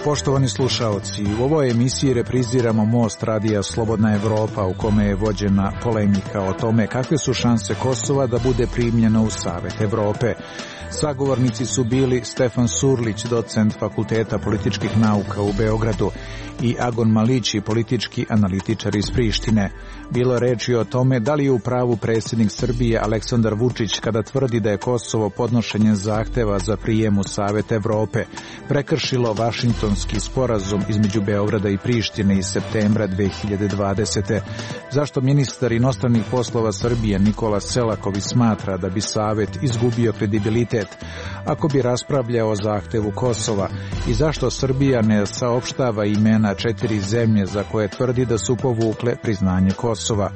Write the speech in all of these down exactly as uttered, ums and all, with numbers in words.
Poštovani slušaoci, u ovoj emisiji repriziramo Most radija Slobodna Evropa, u kome je vođena polemika o tome kakve su šanse Kosova da bude primljeno u Savet Evrope. Sagovornici su bili Stefan Surlić, docent Fakulteta političkih nauka u Beogradu, i Agon Malići, politički analitičar iz Prištine. Bilo je reči o tome da li je u pravu predsjednik Srbije Aleksandar Vučić kada tvrdi da je Kosovo podnošenjem zahteva za prijem u Savet Evrope prekršilo Vašingtonski sporazum između Beograda i Prištine iz septembra dve hiljade dvadesete. Zašto ministar inostranih poslova Srbije Nikola Selaković smatra da bi Savet izgubio kredibilitet ako bi raspravljao o zahtevu Kosova i zašto Srbija ne saopštava imena četiri zemlje za koje tvrdi da su povukle priznanje Kosova.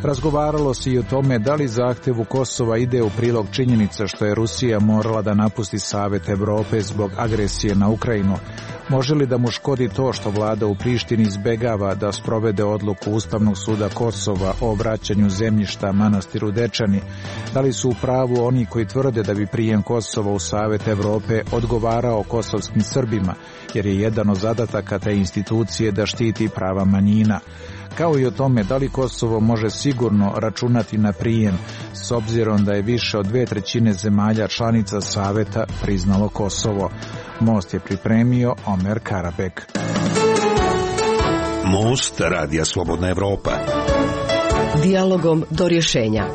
Razgovaralo se i o tome da li zahtevu Kosova ide u prilog činjenica što je Rusija morala da napusti Savet Evrope zbog agresije na Ukrajinu. Može li da mu škodi to što vlada u Prištini izbegava da sprovede odluku Ustavnog suda Kosova o vraćanju zemljišta manastiru Dečani? Da li su u pravu oni koji tvrde da bi prijem Kosova u Savet Evrope odgovarao kosovskim Srbima, jer je jedan od zadataka te institucije da štiti prava manjina? Kao i o tome da li Kosovo može sigurno računati na prijem, s obzirom da je više od dve trećine zemalja članica Saveta priznalo Kosovo. Most je pripremio Omer Karabek. Most radija Slobodna Evropa. Dijalogom do rješenja.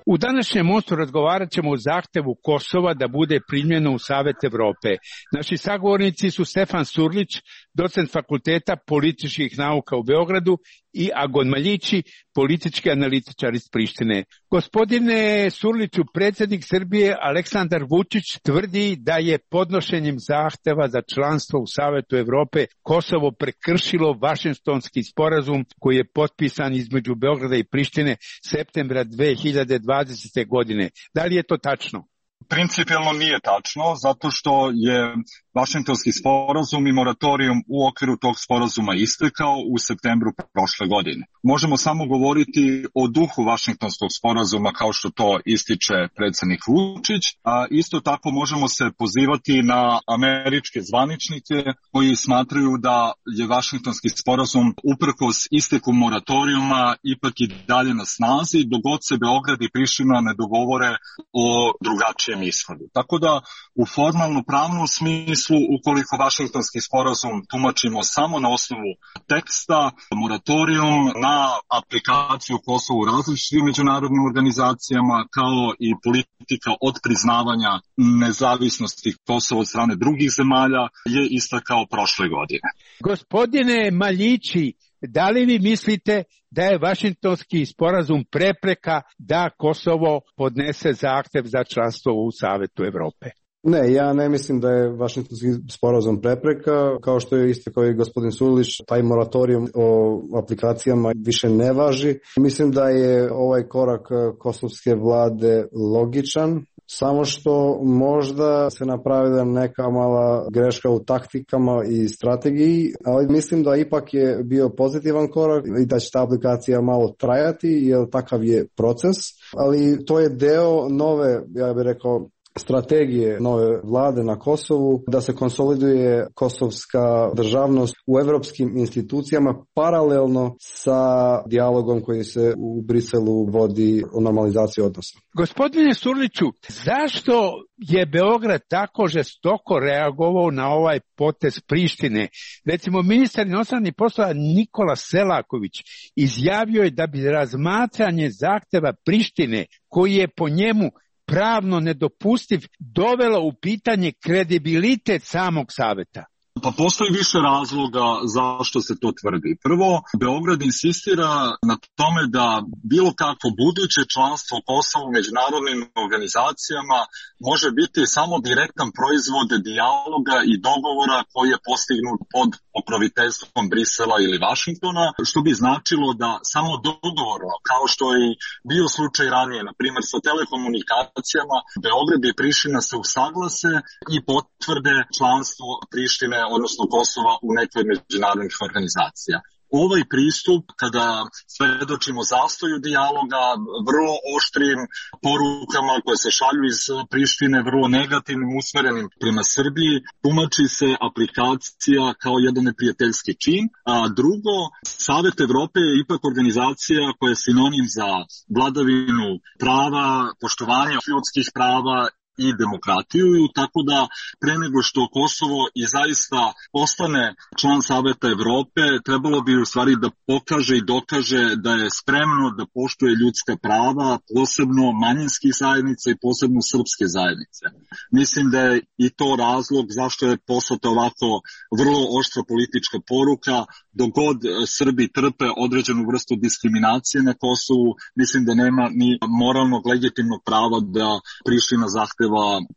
U današnjem mostu razgovarat ćemo o zahtevu Kosova da bude primljeno u Savet Evrope. Naši sagovornici su Stefan Surlić, docent Fakulteta političkih nauka u Beogradu, i Agon Malići, politički analitičar iz Prištine. Gospodine Surliću, predsjednik Srbije Aleksandar Vučić tvrdi da je podnošenjem zahteva za članstvo u Savetu Evrope Kosovo prekršilo Vašingtonski sporazum koji je potpisan između Beograda i Prištine septembra dve hiljade dvadesete. godine. Da li je to tačno? Principijelno nije tačno, zato što je Vašingtonski sporazum i moratorijum u okviru tog sporazuma istekao u septembru prošle godine. Možemo samo govoriti o duhu Vašingtonskog sporazuma kao što to ističe predsjednik Vučić, a isto tako možemo se pozivati na američke zvaničnike koji smatraju da je Vašingtonski sporazum uprkos isteku moratorijuma ipak i dalje na snazi dok god se Beograd i Priština ne dogovore o drugačijem ishodu. Tako da u formalno pravnom smislu, ukoliko Vašingtonski sporazum tumačimo samo na osnovu teksta, moratorijum na aplikaciju Kosova u različitim međunarodnim organizacijama, kao i politika od priznavanja nezavisnosti Kosova od strane drugih zemalja je ista kao prošle godine. Gospodine Malići, da li vi mislite da je Vašingtonski sporazum prepreka da Kosovo podnese zahtev za članstvo u Savetu Evrope? Ne, ja ne mislim da je Vašingtonski sporazum prepreka, kao što je isto kao i gospodin Surlić, taj moratorijum o aplikacijama više ne važi. Mislim da je ovaj korak kosovske vlade logičan, samo što možda se napravila neka mala greška u taktikama i strategiji, ali mislim da ipak je bio pozitivan korak i da će ta aplikacija malo trajati, jer takav je proces, ali to je deo nove, ja bih rekao, strategije nove vlade na Kosovu da se konsoliduje kosovska državnost u evropskim institucijama paralelno sa dijalogom koji se u Briselu vodi o normalizaciji odnosa. Gospodine Surliću, zašto je Beograd tako žestoko reagovao na ovaj potez Prištine? Recimo, ministar inostranih poslova Nikola Selaković izjavio je da bi razmatranje zahteva Prištine, koji je po njemu pravno nedopustiv, dovelo u pitanje kredibilitet samog saveta. Pa postoji više razloga zašto se to tvrdi. Prvo, Beograd insistira na tome da bilo kakvo buduće članstvo Kosova u međunarodnim organizacijama može biti samo direktan proizvod dijaloga i dogovora koji je postignut pod pokroviteljstvom Brisela ili Vašingtona, što bi značilo da samo dogovorno, kao što je bio slučaj ranije, na primjer sa telekomunikacijama, Beograd i Priština se usaglase i potvrde članstvo Prištine, odnosno Kosova, u nekoj međunarodnih organizacija. Ovaj pristup, kada svedočimo zastoju dijaloga, vrlo oštrim porukama koje se šalju iz Prištine, vrlo negativnim, usmerenim prema Srbiji, tumači se aplikacija kao jedan neprijateljski čin. A drugo, Savet Evrope je ipak organizacija koja je sinonim za vladavinu prava, poštovanje ljudskih prava i demokratiju, tako da pre nego što Kosovo i zaista postane član Saveta Evrope, trebalo bi u stvari da pokaže i dokaže da je spremno da poštuje ljudska prava, posebno manjinskih zajednica i posebno srpske zajednice. Mislim da je i to razlog zašto je poslata ovako vrlo oštra politička poruka. Dok god Srbi trpe određenu vrstu diskriminacije na Kosovu, mislim da nema ni moralnog legitimnog prava da Priština zahteva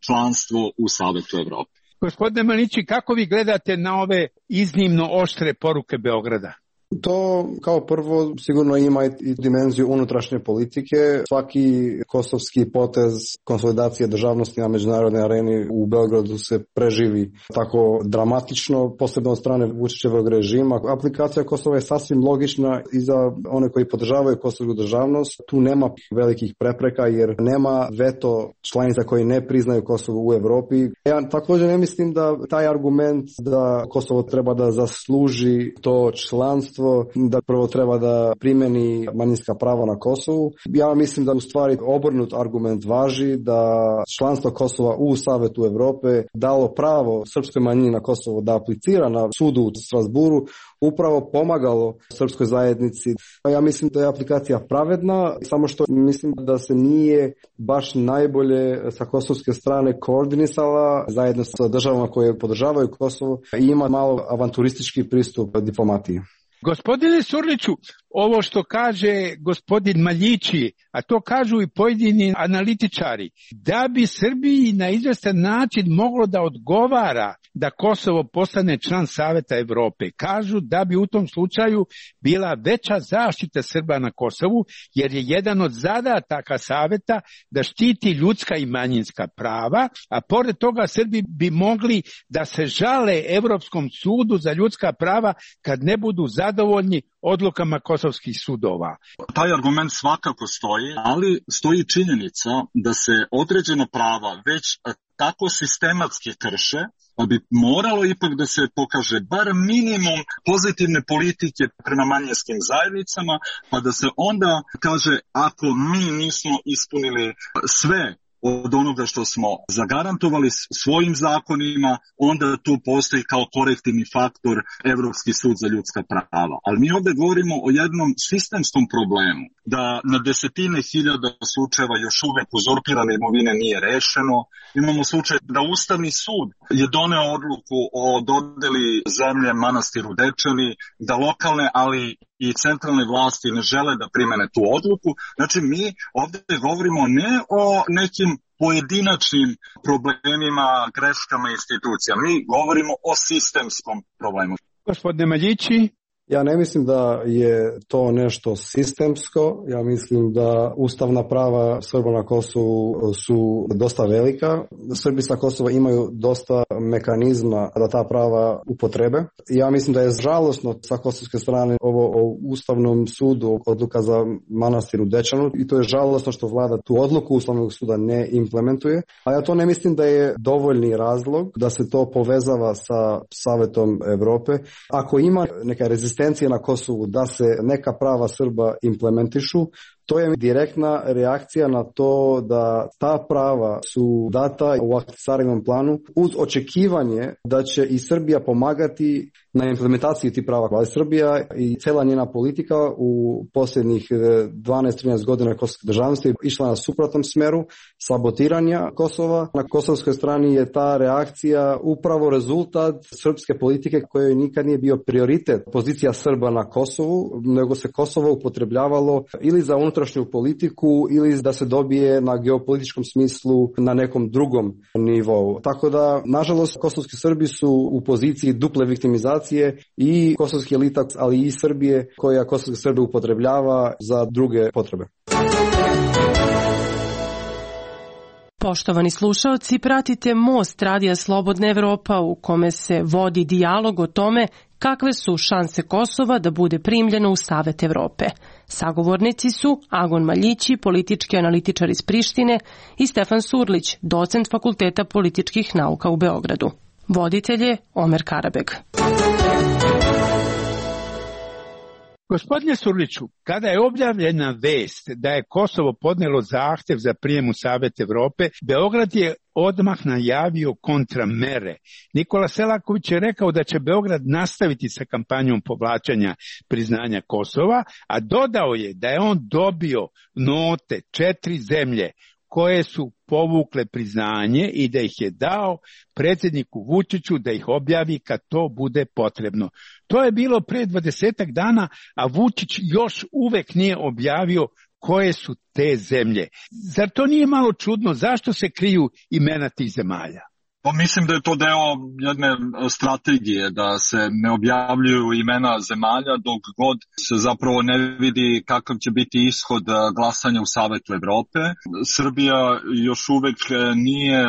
članstvo u Savetu Evrope. Gospodine Manići, kako vi gledate na ove iznimno oštre poruke Beograda? To kao prvo sigurno ima i dimenziju unutrašnje politike. Svaki kosovski potez konsolidacije državnosti na međunarodnoj areni u Beogradu se preživi tako dramatično, posebno od strane Vučićevog režima. Aplikacija Kosova je sasvim logična i za one koji podržavaju kosovsku državnost. Tu nema velikih prepreka jer nema veto članica koji ne priznaju Kosovo u Evropi. Ja također ne mislim da taj argument da Kosovo treba da zasluži to članstvo, da prvo treba da primeni manjinska prava na Kosovu. Ja mislim da u stvari obrnut argument važi, da članstvo Kosova u Savetu Evrope dalo pravo srpskoj manjini na Kosovo da aplicira na sudu u Strasburu, upravo pomagalo srpskoj zajednici. Ja mislim da je aplikacija pravedna, samo što mislim da se nije baš najbolje sa kosovske strane koordinisala zajedno sa državama koje podržavaju Kosovo i ima malo avanturistički pristup diplomatiji. Gospodine Surliću, ovo što kaže gospodin Maljići, a to kažu i pojedini analitičari, da bi Srbiji na izvestan način moglo da odgovara da Kosovo postane član Saveta Evrope, kažu da bi u tom slučaju bila veća zaštita Srba na Kosovu, jer je jedan od zadataka Saveta da štiti ljudska i manjinska prava, a pored toga Srbi bi mogli da se žale Evropskom sudu za ljudska prava kad ne budu zadovoljni odlukama kosovskih sudova. Taj argument svakako stoji, ali stoji činjenica da se određena prava već tako sistematski krše, pa bi moralo ipak da se pokaže bar minimum pozitivne politike prema manjinskim zajednicama, pa da se onda kaže ako mi nismo ispunili sve od onoga što smo zagarantovali svojim zakonima, onda tu postoji kao korektivni faktor Evropski sud za ljudska prava. Ali mi ovdje govorimo o jednom sistemskom problemu, da na desetine hiljada slučajeva još uvek uzurpirane imovine nije rešeno. Imamo slučaj da Ustavni sud je doneo odluku o dodeli zemlje manastiru Dečani, da lokalne, ali i centralne vlasti ne žele da primene tu odluku. Znači mi ovdje govorimo ne o nekim pojedinačnim problemima, greškama institucija. Mi govorimo o sistemskom problemu. Gospodine Maljići? Ja ne mislim da je to nešto sistemsko, ja mislim da ustavna prava Srba na Kosovu su dosta velika. Srbi sa Kosova imaju dosta mekanizma da ta prava upotrebe. Ja mislim da je žalosno sa kosovske strane ovo o Ustavnom sudu, odluka za manastir u Dečanu, i to je žalosno što vlada tu odluku Ustavnog suda ne implementuje. A ja to ne mislim da je dovoljni razlog da se to povezava sa Savetom Evrope. Ako ima neka rezistencija na Kosovu da se neka prava Srba implementišu, to je direktna reakcija na to da ta prava su data u akcijskom planu uz očekivanje da će i Srbija pomagati na implementaciji tih prava. Ali Srbija i cela njena politika u posljednjih dvanaest trinaest godina kosovske državnosti išla na suprotnom smeru sabotiranja Kosova. Na kosovskoj strani je ta reakcija upravo rezultat srpske politike kojoj nikad nije bio prioritet pozicija Srba na Kosovu, nego se Kosovo upotrebljavalo ili za unutrašnju politiku ili da se dobije na geopolitičkom smislu na nekom drugom nivou. Tako da, nažalost, kosovski Srbi su u poziciji duple viktimizacije i kosovski elita, ali i Srbije koja kosovski Srbi upotrebljava za druge potrebe. Poštovani slušaoci, pratite Most Radija Slobodna Evropa u kome se vodi dijalog o tome kakve su šanse Kosova da bude primljeno u Savet Evrope. Sagovornici su Agon Maljići, politički analitičar iz Prištine, i Stefan Surlić, docent Fakulteta političkih nauka u Beogradu. Voditelj je Omer Karabeg. Gospodine Surliću, kada je objavljena vest da je Kosovo podnelo zahtev za prijem u Savet Evrope, Beograd je odmah najavio kontramere. Nikola Selaković je rekao da će Beograd nastaviti sa kampanjom povlačenja priznanja Kosova, a dodao je da je on dobio note četiri zemlje koje su povukle priznanje i da ih je dao predsjedniku Vučiću da ih objavi kad to bude potrebno. To je bilo pre dvadesetak dana, a Vučić još uvek nije objavio koje su te zemlje. Zar to nije malo čudno? Zašto se kriju imena tih zemalja? Pa mislim da je to deo jedne strategije, da se ne objavljuju imena zemalja dok god se zapravo ne vidi kakav će biti ishod glasanja u Savetu Evrope. Srbija još uvek nije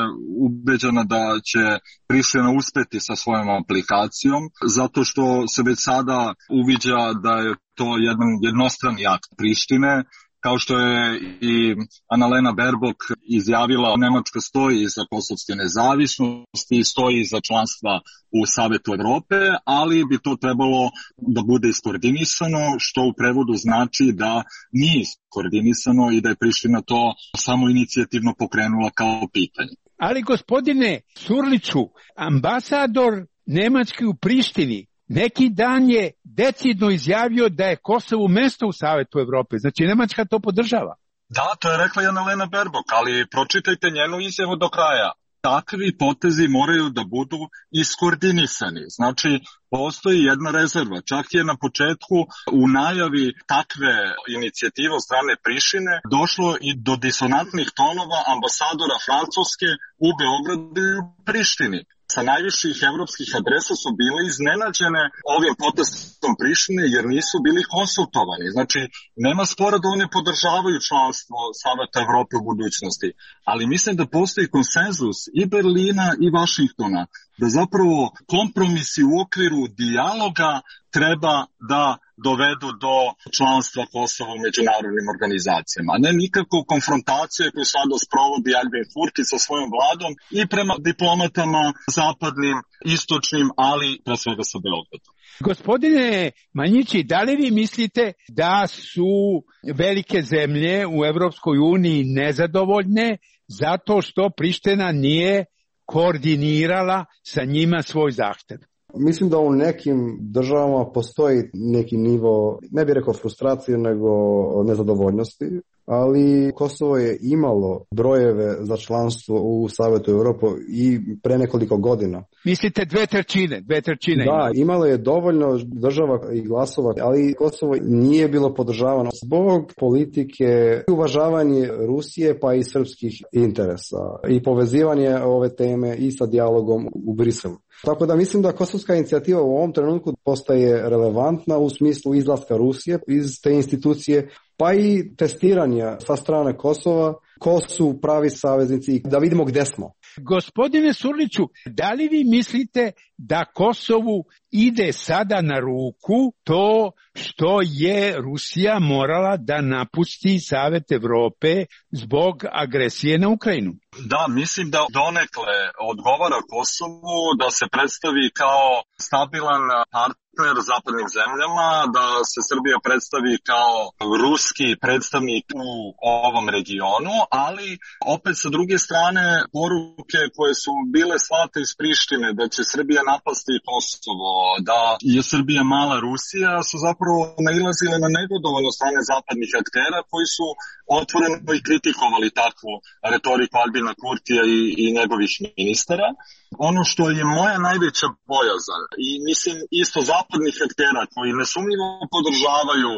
ubeđena da će Priština uspeti sa svojom aplikacijom, zato što se već sada uviđa da je to jedan jednostrani akt Prištine. Kao što je i Annalena Baerbock izjavila, Nemačka stoji iza kosovske nezavisnosti i stoji iza članstva u Savetu Evrope, ali bi to trebalo da bude iskoordinisano, što u prevodu znači da nije iskoordinisano i da je Priština to samo inicijativno pokrenula kao pitanje. Ali gospodine Surliću, ambasador Nemački u Prištini neki dan je decidno izjavio da je Kosovo mesto u Savetu Evrope. Znači, Nemačka to podržava. Da, to je rekla i Annalena Baerbock, ali pročitajte njenu izjavu do kraja. Takvi potezi moraju da budu iskoordinisani. Znači, postoji jedna rezerva. Čak je na početku u najavi takve inicijative od strane Prištine došlo i do disonantnih tonova ambasadora Francuske u Beogradu i u Prištini. Sa najviših evropskih adresa su bile iznenađene ovim potezom Prištine jer nisu bili konsultovani. Znači, nema spora da oni podržavaju članstvo Saveta Evrope u budućnosti, ali mislim da postoji konsenzus i Berlina i Vašingtona da zapravo kompromisi u okviru dijaloga treba da dovedu do članstva Kosova u međunarodnim organizacijama, a ne nikako konfrontacije koju sada sprovodi Albin Kurti sa svojom vladom i prema diplomatama zapadnim, istočnim, ali pre svega sa Beogradom. Gospodine Maljići, da li vi mislite da su velike zemlje u Evropskoj uniji nezadovoljne zato što Priština nije koordinirala sa njima svoj zahtev? Mislim da u nekim državama postoji neki nivo, ne bih rekao frustracije, nego nezadovoljnosti, ali Kosovo je imalo brojeve za članstvo u Savetu Evrope i pre nekoliko godina. Mislite dve trećine? Dve trećine da, imalo. imalo je dovoljno država i glasova, ali Kosovo nije bilo podržavano zbog politike i uvažavanje Rusije pa i srpskih interesa i povezivanje ove teme i sa dijalogom u Briselu. Tako da mislim da kosovska inicijativa u ovom trenutku postaje relevantna u smislu izlaska Rusije iz te institucije, pa i testiranja sa strane Kosova, ko su pravi saveznici i da vidimo gde smo. Gospodine Surliću, da li vi mislite da Kosovu ide sada na ruku to što je Rusija morala da napusti Savet Evrope zbog agresije na Ukrajinu? Da, mislim da donekle odgovara Kosovu da se predstavi kao stabilan partner zapadnim zemljama, da se Srbija predstavi kao ruski predstavnik u ovom regionu, ali opet sa druge strane poruke koje su bile slate iz Prištine da će Srbija napasti Kosovo, da je Srbija mala Rusija, su zapravo nailazile na negodovanje od strane zapadnih aktera koji su otvoreno i kritikovali takvu retoriku Albina Kurtija i, i njegovih ministara. Ono što je moja najveća bojazan i mislim isto zapadnih aktera koji nesumnjivo podržavaju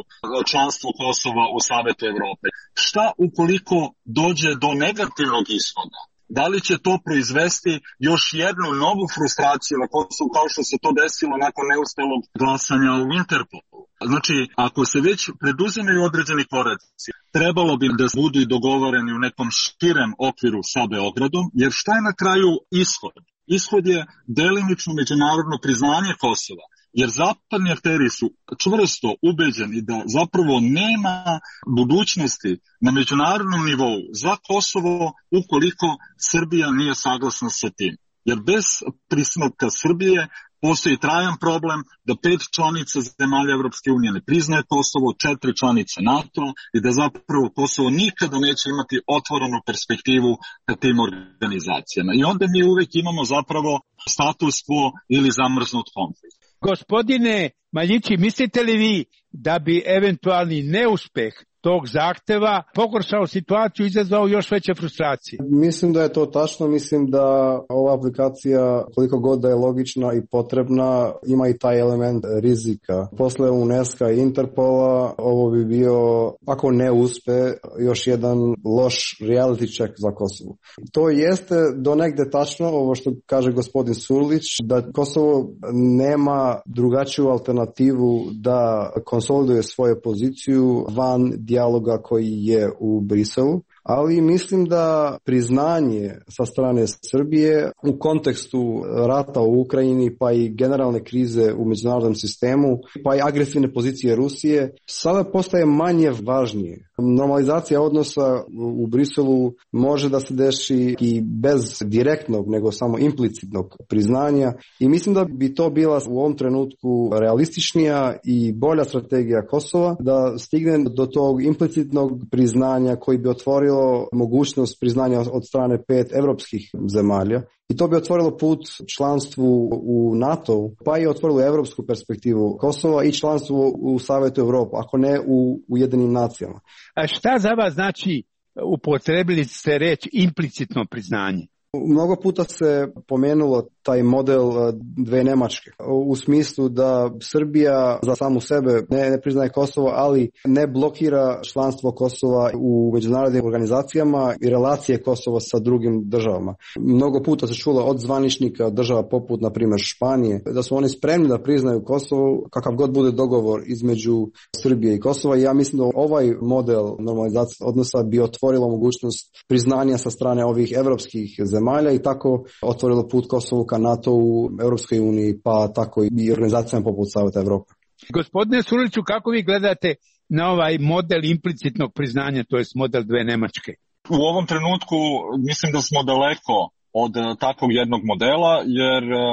članstvo Kosova u Savetu Evrope, šta ukoliko dođe do negativnog ishoda? Da li će to proizvesti još jednu novu frustraciju na Kosovu kao što se to desilo nakon neuspelog glasanja u Interpolu? Znači, ako se već preduzimaju određeni koraci, trebalo bi da budu i dogovoreni u nekom širem okviru sa Beogradom, jer šta je na kraju ishod? Ishod je delimično međunarodno priznanje Kosova, jer zapadni akteri su čvrsto ubeđeni da zapravo nema budućnosti na međunarodnom nivou za Kosovo ukoliko Srbija nije saglasna sa tim. Jer bez pristanka Srbije postoji trajan problem da pet članica zemalja Evropske unije ne priznaje Kosovo, četiri članice NATO i da zapravo Kosovo nikada neće imati otvorenu perspektivu ka tim organizacijama. I onda mi uvek imamo zapravo status quo ili zamrznut konflikt. Gospodine Maljići, mislite li vi da bi eventualni neuspeh tog zahteva pogoršao situaciju i izazvao još veće frustracije? Mislim da je to tačno, mislim da ova aplikacija, koliko god da je logična i potrebna, ima i taj element rizika. Posle UNESCO i Interpola ovo bi bio, ako ne uspe, još jedan loš reality check za Kosovo. To jeste do negde tačno, ovo što kaže gospodin Surlić, da Kosovo nema drugačiju alternativu da konsoliduje svoju poziciju van dijaloga koji je u Briselu, ali mislim da priznanje sa strane Srbije u kontekstu rata u Ukrajini pa i generalne krize u međunarodnom sistemu pa i agresivne pozicije Rusije sada postaje manje važnije. Normalizacija odnosa u Briselu može da se deši i bez direktnog nego samo implicitnog priznanja i mislim da bi to bila u ovom trenutku realističnija i bolja strategija Kosova da stigne do tog implicitnog priznanja koji bi otvorio mogućnost priznanja od strane pet evropskih zemalja i to bi otvorilo put članstvu u NATO, pa i otvorilo evropsku perspektivu Kosova i članstvu u Savetu Evrope, ako ne u Ujedinjenim nacijama. A šta za vas znači, upotrebili ste reč implicitno priznanje? Mnogo puta se pomenulo taj model dve Nemačke u smislu da Srbija za samu sebe ne, ne priznaje Kosovo, ali ne blokira članstvo Kosova u međunarodnim organizacijama i relacije Kosova sa drugim državama. Mnogo puta se čulo od zvaničnika država poput, na primjer, Španije, da su oni spremni da priznaju Kosovo kakav god bude dogovor između Srbije i Kosova i ja mislim da ovaj model normalizacije odnosa bi otvorilo mogućnost priznanja sa strane ovih evropskih zemalja i tako otvorilo put Kosovu ka NATO-u, Europskoj uniji, pa tako i organizacijama poput Saveta Evrope. Gospodine Surliću, kako vi gledate na ovaj model implicitnog priznanja, to je model dve Nemačke? U ovom trenutku mislim da smo daleko od takvog jednog modela, jer uh,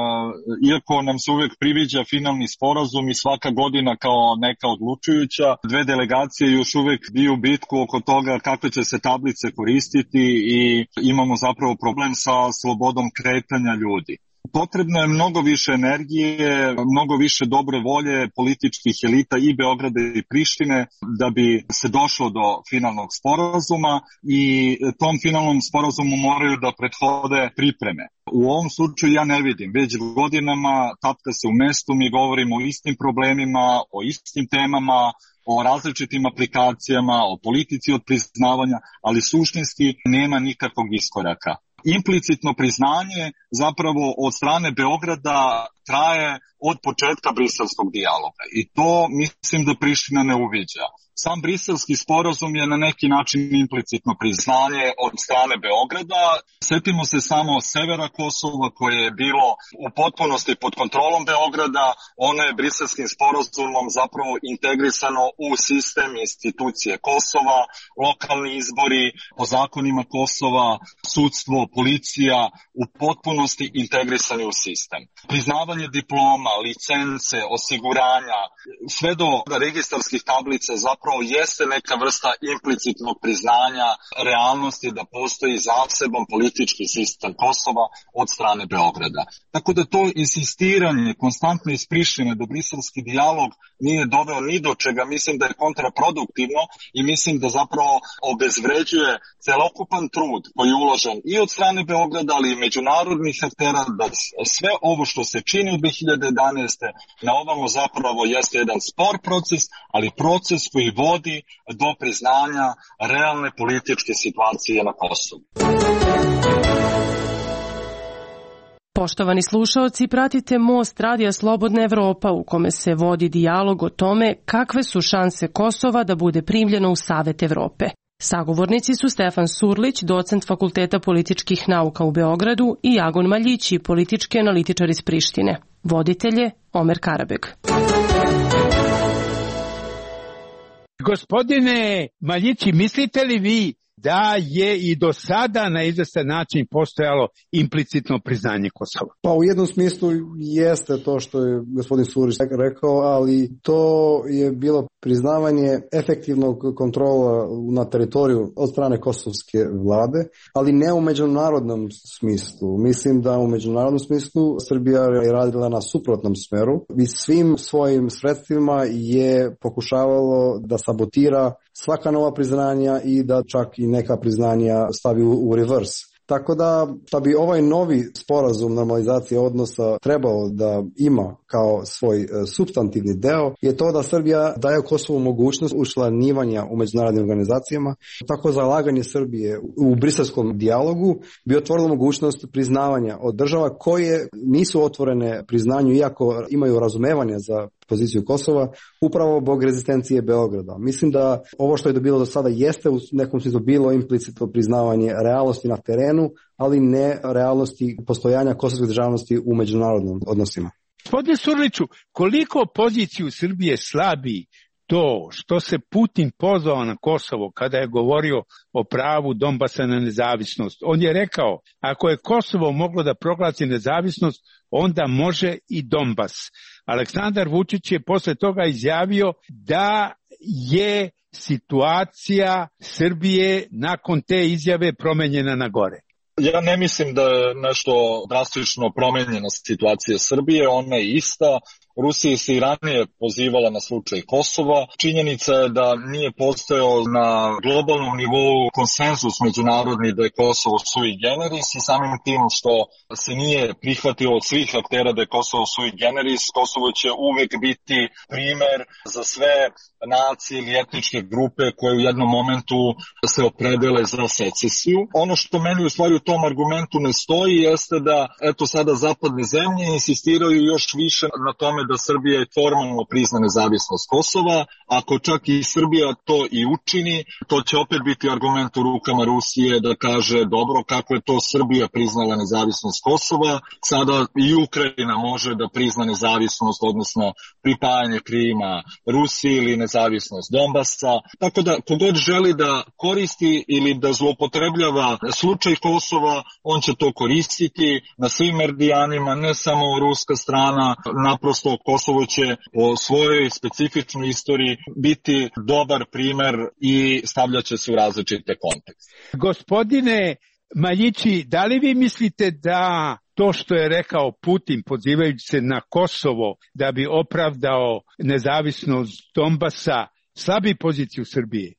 iako nam se uvijek priviđa finalni sporazum i svaka godina kao neka odlučujuća, dve delegacije još uvijek biju bitku oko toga kakve će se tablice koristiti i imamo zapravo problem sa slobodom kretanja ljudi. Potrebno je mnogo više energije, mnogo više dobre volje političkih elita i Beograda i Prištine da bi se došlo do finalnog sporazuma i tom finalnom sporazumu moraju da prethode pripreme. U ovom slučaju ja ne vidim, već godinama tapka se u mestu, mi govorimo o istim problemima, o istim temama, o različitim aplikacijama, o politici od priznavanja, ali suštinski nema nikakvog iskoraka. Implicitno priznanje zapravo od strane Beograda traje od početka briselskog dijaloga i to mislim da Priština ne uviđa. Sam briselski sporazum je na neki način implicitno priznanje od strane Beograda. Sjetimo se samo severa Kosova koje je bilo u potpunosti pod kontrolom Beograda. Ono je briselskim sporazumom zapravo integrisano u sistem institucije Kosova, lokalni izbori, po zakonima Kosova, sudstvo, policija u potpunosti integrisani u sistem. Priznavanje diploma, licence, osiguranja, sve do registarskih tablica zapravo jeste neka vrsta implicitnog priznanja realnosti da postoji zaseban politički sistem Kosova od strane Beograda. Tako da to insistiranje konstantno iz Prištine da briselski dijalog nije doveo ni do čega, mislim da je kontraproduktivno i mislim da zapravo obezvređuje celokupan trud koji je uložen i od strane Beograda, ali i međunarodnih aktera da sve ovo što se čini u dve hiljade jedanaeste. na ovamo zapravo jeste jedan spor proces, ali proces koji vodi do priznanja realne političke situacije na Kosovu. Poštovani slušaoci, pratite Most Radija Slobodna Evropa u kome se vodi dijalog o tome kakve su šanse Kosova da bude primljeno u Savet Evrope. Sagovornici su Stefan Surlić, docent Fakulteta političkih nauka u Beogradu, i Agon Maljići, politički analitičar iz Prištine. Voditelj je Omer Karabeg. Gospodine Maljići, mislite li vi da je i do sada na izvestan način postojalo implicitno priznanje Kosova? Pa u jednom smislu jeste to što je gospodin Surić rekao, ali to je bilo priznavanje efektivnog kontrola na teritoriju od strane kosovske vlade, ali ne u međunarodnom smislu. Mislim da u međunarodnom smislu Srbija je radila na suprotnom smeru i svim svojim sredstvima je pokušavalo da sabotira svaka nova priznanja i da čak i neka priznanja stavi u, u reverse. Tako da, da bi ovaj novi sporazum normalizacije odnosa trebao da ima kao svoj supstantivni deo, je to da Srbija daje Kosovu mogućnost učlanjivanja u međunarodnim organizacijama. Tako zalaganje Srbije u briselskom dijalogu bi otvorilo mogućnost priznavanja od država koje nisu otvorene priznanju, iako imaju razumevanje za poziciju Kosova, upravo zbog rezistencije Beograda. Mislim da ovo što je dobilo do sada jeste u nekom smislu bilo implicitno priznavanje realnosti na terenu, ali ne realnosti postojanja kosovske državnosti u međunarodnim odnosima. Gospodine Surliću, koliko poziciju Srbije slabi to što se Putin pozvao na Kosovo kada je govorio o pravu Donbasa na nezavisnost? On je rekao, ako je Kosovo moglo da proglasi nezavisnost, onda može i Donbas. Aleksandar Vučić je posle toga izjavio da je situacija Srbije nakon te izjave promenjena na gore. Ja ne mislim da je nešto drastično promenjena situacija Srbije, ona je ista. Rusija se i ranije pozivala na slučaj Kosova. Činjenica je da nije postojao na globalnom nivou konsenzus međunarodni da je Kosovo sui generis i samim tim što se nije prihvatilo od svih aktera da je Kosovo sui generis, Kosovo će uvek biti primer za sve nacije ili etničke grupe koje u jednom momentu se opredele za secesiju. Ono što meni u stvari u tom argumentu ne stoji jeste da eto sada zapadne zemlje insistiraju još više na tome da Srbija formalno prizna nezavisnost Kosova. Ako čak i Srbija to i učini, to će opet biti argument u rukama Rusije da kaže dobro, kako je to Srbija priznala nezavisnost Kosova, sada i Ukrajina može da prizna nezavisnost, odnosno pripajanje Krima Rusiji ili nezavisnost Donbasa. Tako da kogod želi da koristi ili da zloupotrebljava slučaj Kosova, on će to koristiti na svim meridijanima, ne samo ruska strana, naprosto Kosovo će po svojoj specifičnoj istoriji biti dobar primer i stavljaće se u različite kontekste. Gospodine Maljići, da li vi mislite da to što je rekao Putin pozivajući se na Kosovo da bi opravdao nezavisnost Donbasa slabi poziciju Srbije?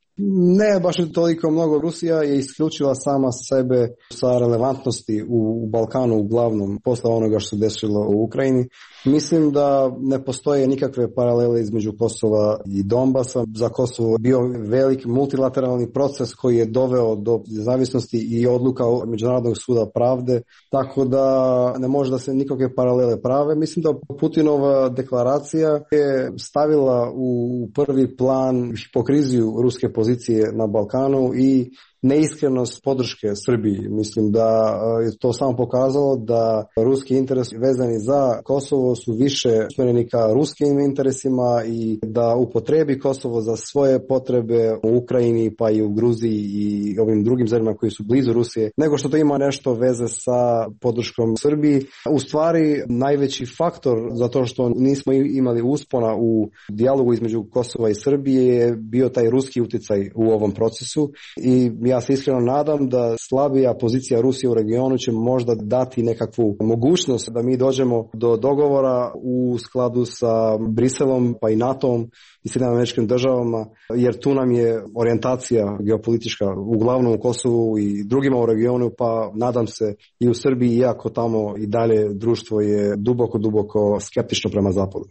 Ne, baš je toliko mnogo. Rusija je isključila sama sebe sa relevantnosti u Balkanu uglavnom posle onoga što se desilo u Ukrajini. Mislim da ne postoje nikakve paralele između Kosova i Donbasa. Za Kosovo je bio velik multilateralni proces koji je doveo do nezavisnosti i odluka Međunarodnog suda pravde, tako da ne može da se nikakve paralele prave. Mislim da Putinova deklaracija je stavila u prvi plan hipokriziju ruske pozicije na Balkanu i neiskrenost podrške Srbiji. Mislim da je to samo pokazalo da ruski interesi vezani za Kosovo su više usmjereni ka ruskim interesima i da upotrebi Kosovo za svoje potrebe u Ukrajini pa i u Gruziji i ovim drugim zemljama koji su blizu Rusije, nego što to ima nešto veze sa podrškom Srbiji. U stvari najveći faktor za to što nismo imali uspona u dijalogu između Kosova i Srbije je bio taj ruski uticaj u ovom procesu i ja se iskreno nadam da slabija pozicija Rusije u regionu će možda dati nekakvu mogućnost da mi dođemo do dogovora u skladu sa Briselom pa i NATO-om i Sjedinjenim Američkim Državama, jer tu nam je orijentacija geopolitička uglavnom u Kosovu i drugima u regionu, pa nadam se i u Srbiji, iako tamo i dalje društvo je duboko, duboko skeptično prema zapadu.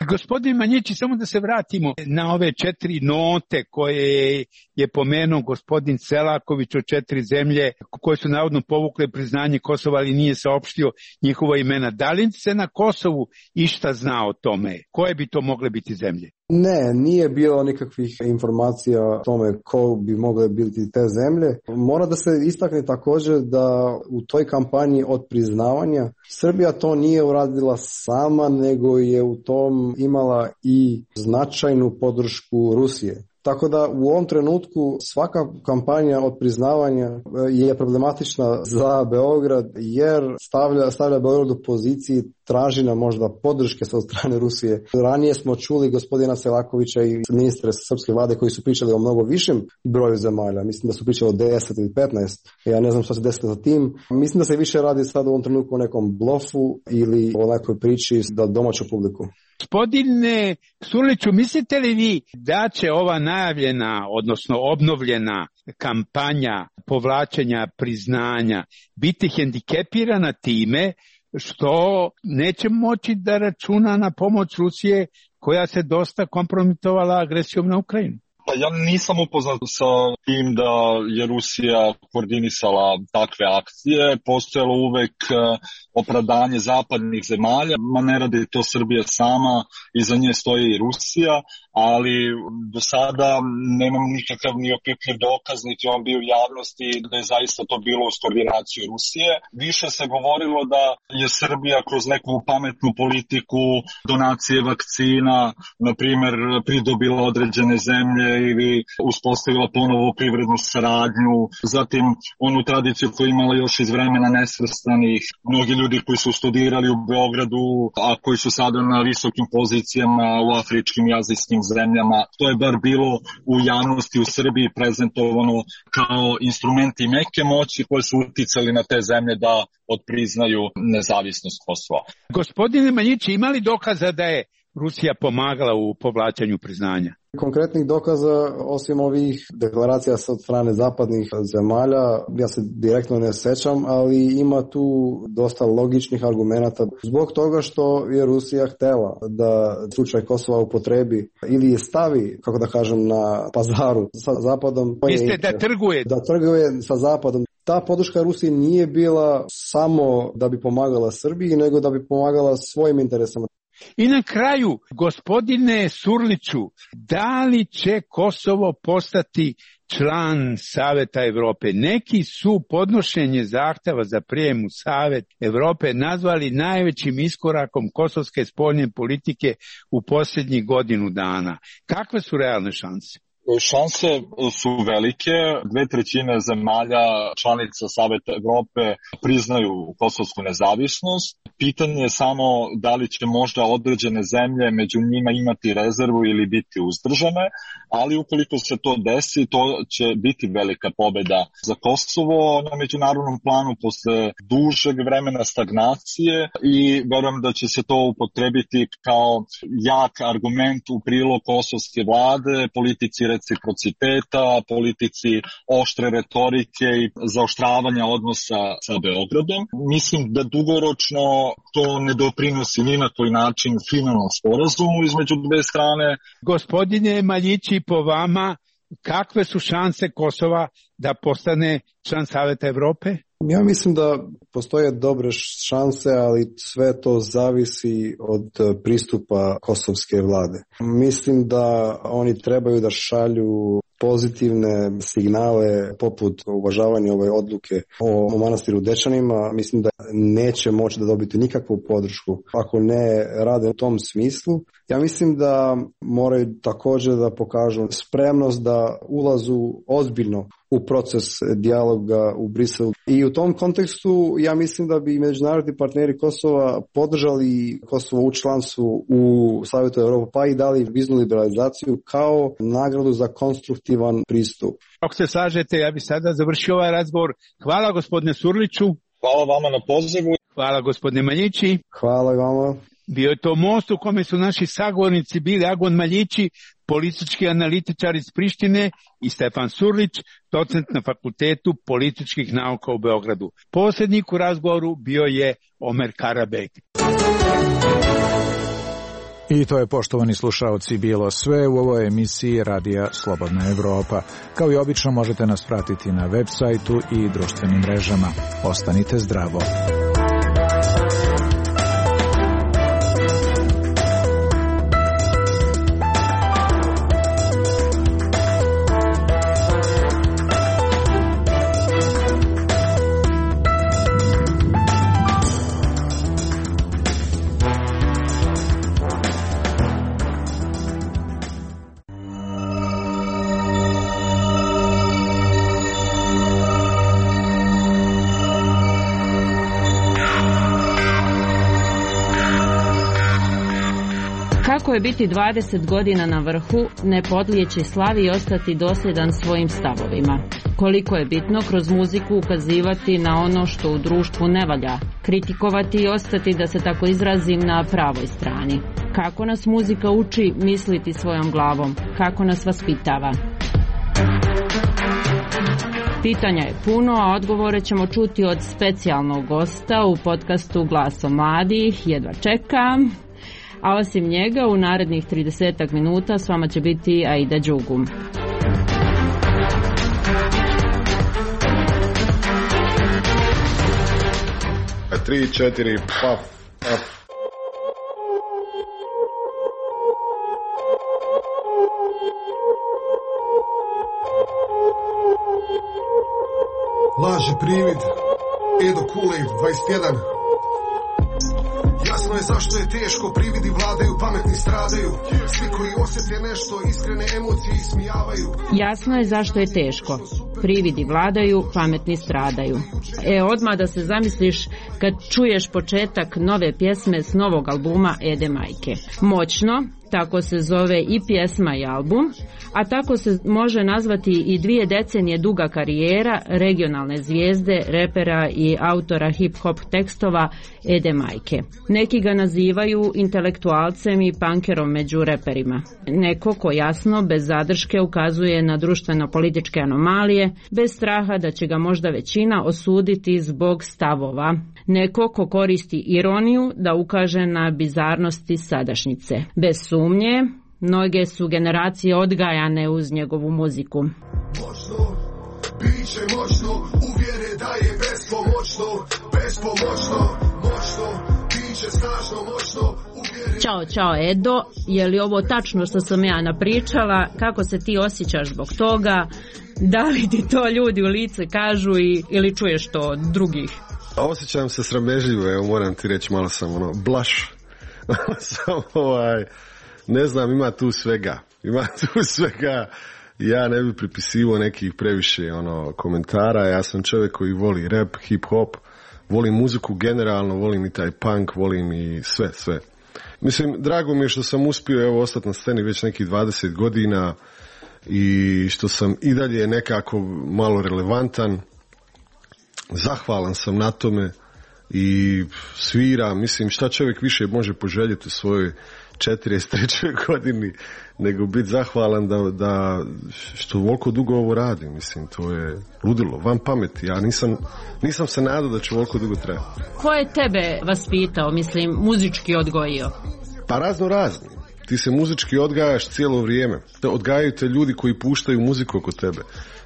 Gospodin Maljići, samo da se vratimo na ove četiri note koje je pomenuo gospodin Selaković Selaković o četiri zemlje koje su navodno povukle priznanje Kosova, ali nije saopštio njihova imena. Da li se na Kosovu išta zna o tome? Koje bi to mogle biti zemlje? Ne, nije bilo nikakvih informacija o tome ko bi mogle biti te zemlje. Mora da se istakne također da u toj kampanji od priznavanja Srbija to nije uradila sama, nego je u tom imala i značajnu podršku Rusije. Tako da u ovom trenutku svaka kampanja od priznavanja je problematična za Beograd jer stavlja, stavlja Beograd u poziciji tražina možda podrške sa strane Rusije. Ranije smo čuli gospodina Selakovića i ministre srpske vlade koji su pričali o mnogo višem broju zemalja. Mislim da su pričali o deset ili petnaest. Ja ne znam što se desilo sa tim. Mislim da se više radi sad u ovom trenutku o nekom blofu ili o nekoj priči za domaću publiku. Gospodine Surliću, mislite li vi da će ova najavljena, odnosno obnovljena kampanja povlačenja priznanja biti hendikepirana time što neće moći da računa na pomoć Rusije koja se dosta kompromitovala agresijom na Ukrajinu? Pa ja nisam upoznat sa tim da je Rusija koordinisala takve akcije. Postojalo uvek opravdanje zapadnih zemalja, ma ne radi to Srbija sama, iza nje stoji i Rusija, ali do sada nemam nikakav ni opipljiv dokaz, niti on bio u javnosti da je zaista to bilo uz koordinaciju Rusije. Više se govorilo da je Srbija kroz neku pametnu politiku donacije vakcina, na primjer, pridobila određene zemlje ili uspostavila ponovo privrednu saradnju, zatim onu tradiciju koju imala još iz vremena nesvrstanih, mnogi ljudi koji su studirali u Beogradu, a koji su sada na visokim pozicijama u afričkim i azijskim zemljama. To je bar bilo u javnosti u Srbiji prezentovano kao instrumenti meke moći koji su uticali na te zemlje da odpriznaju nezavisnost Kosova. Gospodine Maljići, ima li dokaza da je Rusija pomagala u povlačenju priznanja? Konkretnih dokaza, osim ovih deklaracija od strane zapadnih zemalja, ja se direktno ne sećam, ali ima tu dosta logičnih argumenata. Zbog toga što je Rusija htela da slučaj Kosova upotrebi ili je stavi, kako da kažem, na pazaru sa Zapadom. Mislite da trguje? Da trguje sa Zapadom. Ta podrška Rusiji nije bila samo da bi pomagala Srbiji, nego da bi pomagala svojim interesama. I na kraju, gospodine Surliću, da li će Kosovo postati član Saveta Evrope? Neki su podnošenje zahteva za prijem u Savet Evrope nazvali najvećim iskorakom kosovske spoljne politike u posljednjih godinu dana. Kakve su realne šanse? Šanse su velike. Dve trećine zemalja članica Saveta Evrope priznaju kosovsku nezavisnost. Pitanje je samo da li će možda određene zemlje među njima imati rezervu ili biti uzdržane, ali ukoliko se to desi, to će biti velika pobeda za Kosovo na međunarodnom planu posle dužeg vremena stagnacije i verujem da će se to upotrebiti kao jak argument u prilog kosovske vlade, politici reciprociteta, politici oštre retorike i zaoštravanja odnosa sa Beogradom. Mislim da dugoročno to ne doprinosi ni na koji način finalnom sporazumu između dve strane. Gospodine Maljići, po vama, kakve su šanse Kosova da postane član Saveta Evrope? Ja mislim da postoje dobre šanse, ali sve to zavisi od pristupa kosovske vlade. Mislim da oni trebaju da šalju pozitivne signale poput uvažavanja ove odluke o manastiru Dečanima. Mislim da neće moći da dobiti nikakvu podršku ako ne rade u tom smislu. Ja mislim da moraju također da pokažu spremnost da ulazu ozbiljno u proces dijaloga u Briselu. I u tom kontekstu ja mislim da bi međunarodni partneri Kosova podržali Kosovo u članstvu u Savjetu Evrope, pa i dali viznu liberalizaciju kao nagradu za konstruktivan pristup. Ako se slažete, ja bih sada završio ovaj razgovor. Hvala gospodine Surliću. Hvala vama na pozivu. Hvala gospodine Maljići. Hvala i vama. Bio je to most u kome su naši sagovornici bili Agon Maljići, politički analitičar iz Prištine, i Stefan Surlić, docent na Fakultetu političkih nauka u Beogradu. Posrednik u razgovoru bio je Omer Karabek. I to je, poštovani slušaoci, bilo sve u ovoj emisiji Radija Slobodna Evropa. Kao i obično možete nas pratiti na web sajtu i društvenim mrežama. Ostanite zdravo. Kako je biti dvadeset godina na vrhu, ne podlijeći slavi i ostati dosljedan svojim stavovima? Koliko je bitno kroz muziku ukazivati na ono što u društvu ne valja, kritikovati i ostati, da se tako izrazim, na pravoj strani? Kako nas muzika uči misliti svojom glavom? Kako nas vaspitava? Pitanja je puno, a odgovore ćemo čuti od specijalnog gosta u podcastu Glasom mladih. Jedva čekam. A osim njega, u narednih tridesetak minuta s vama će biti Aida Đugum. Tri, četiri, paf, paf. Laži privid, Edo Kool-Aid, dvadeset jedan. Jasno je zašto je teško, prividi vladaju, pametni stradaju. Svi koji osjete nešto, iskrene emocije ismijavaju. Jasno je zašto je teško, prividi vladaju, pametni stradaju. E, odmah da se zamisliš kad čuješ početak nove pjesme s novog albuma Ede Majke. Moćno, tako se zove i pjesma i album, a tako se može nazvati i dvije decenije duga karijera regionalne zvijezde, repera i autora hip-hop tekstova Ede Majke. Neki ga nazivaju intelektualcem i punkerom među reperima. Neko ko jasno, bez zadrške, ukazuje na društveno-političke anomalije, bez straha da će ga možda većina osuditi zbog stavova. Neko ko koristi ironiju da ukaže na bizarnosti sadašnjice. Bez sumnje, mnoge su generacije odgajane uz njegovu muziku. Moćno, biće moćno, uvjere da je bespomoćno, bespomoćno, moćno, biće snažno, moćno, uvjere... Ćao, čao Edo, je li ovo tačno što sam ja napričala? Kako se ti osjećaš zbog toga? Da li ti to ljudi u lice kažu i, ili čuješ to od drugih? Osjećam se sramežljivo, evo moram ti reći, malo sam ono, blaš. Samo ovaj, ne znam, ima tu svega. Ima tu svega. Ja ne bi pripisivao nekih previše ono, komentara. Ja sam čovjek koji voli rap, hip-hop, volim muziku generalno, volim i taj punk, volim i sve, sve. Mislim, drago mi je što sam uspio evo, ostati na sceni već nekih dvadeset godina i što sam i dalje nekako malo relevantan. Zahvalan sam na tome i sviram, mislim, šta čovjek više može poželjeti u svojoj četrdeset trećoj godini nego biti zahvalan da, da što ovoliko dugo ovo radi, mislim, to je ludilo, van pameti, ja nisam, nisam se nadao da će ovoliko dugo trajati. Ko je tebe vaspitao, mislim, muzički odgojio? Pa razno razni. Ti se muzički odgajaš cijelo vrijeme. Odgajaju te ljudi koji puštaju muziku oko tebe.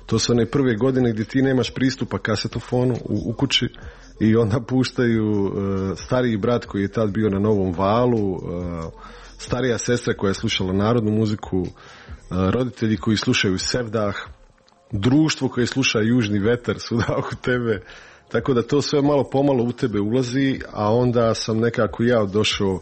To su one prve godine gdje ti nemaš pristupa kasetofonu u, u kući i onda puštaju uh, stariji brat koji je tad bio na Novom valu, uh, starija sestra koja je slušala narodnu muziku, uh, roditelji koji slušaju Sevdah, društvo koje sluša Južni vetar svuda oko tebe. Tako da to sve malo pomalo u tebe ulazi, a onda sam nekako ja došao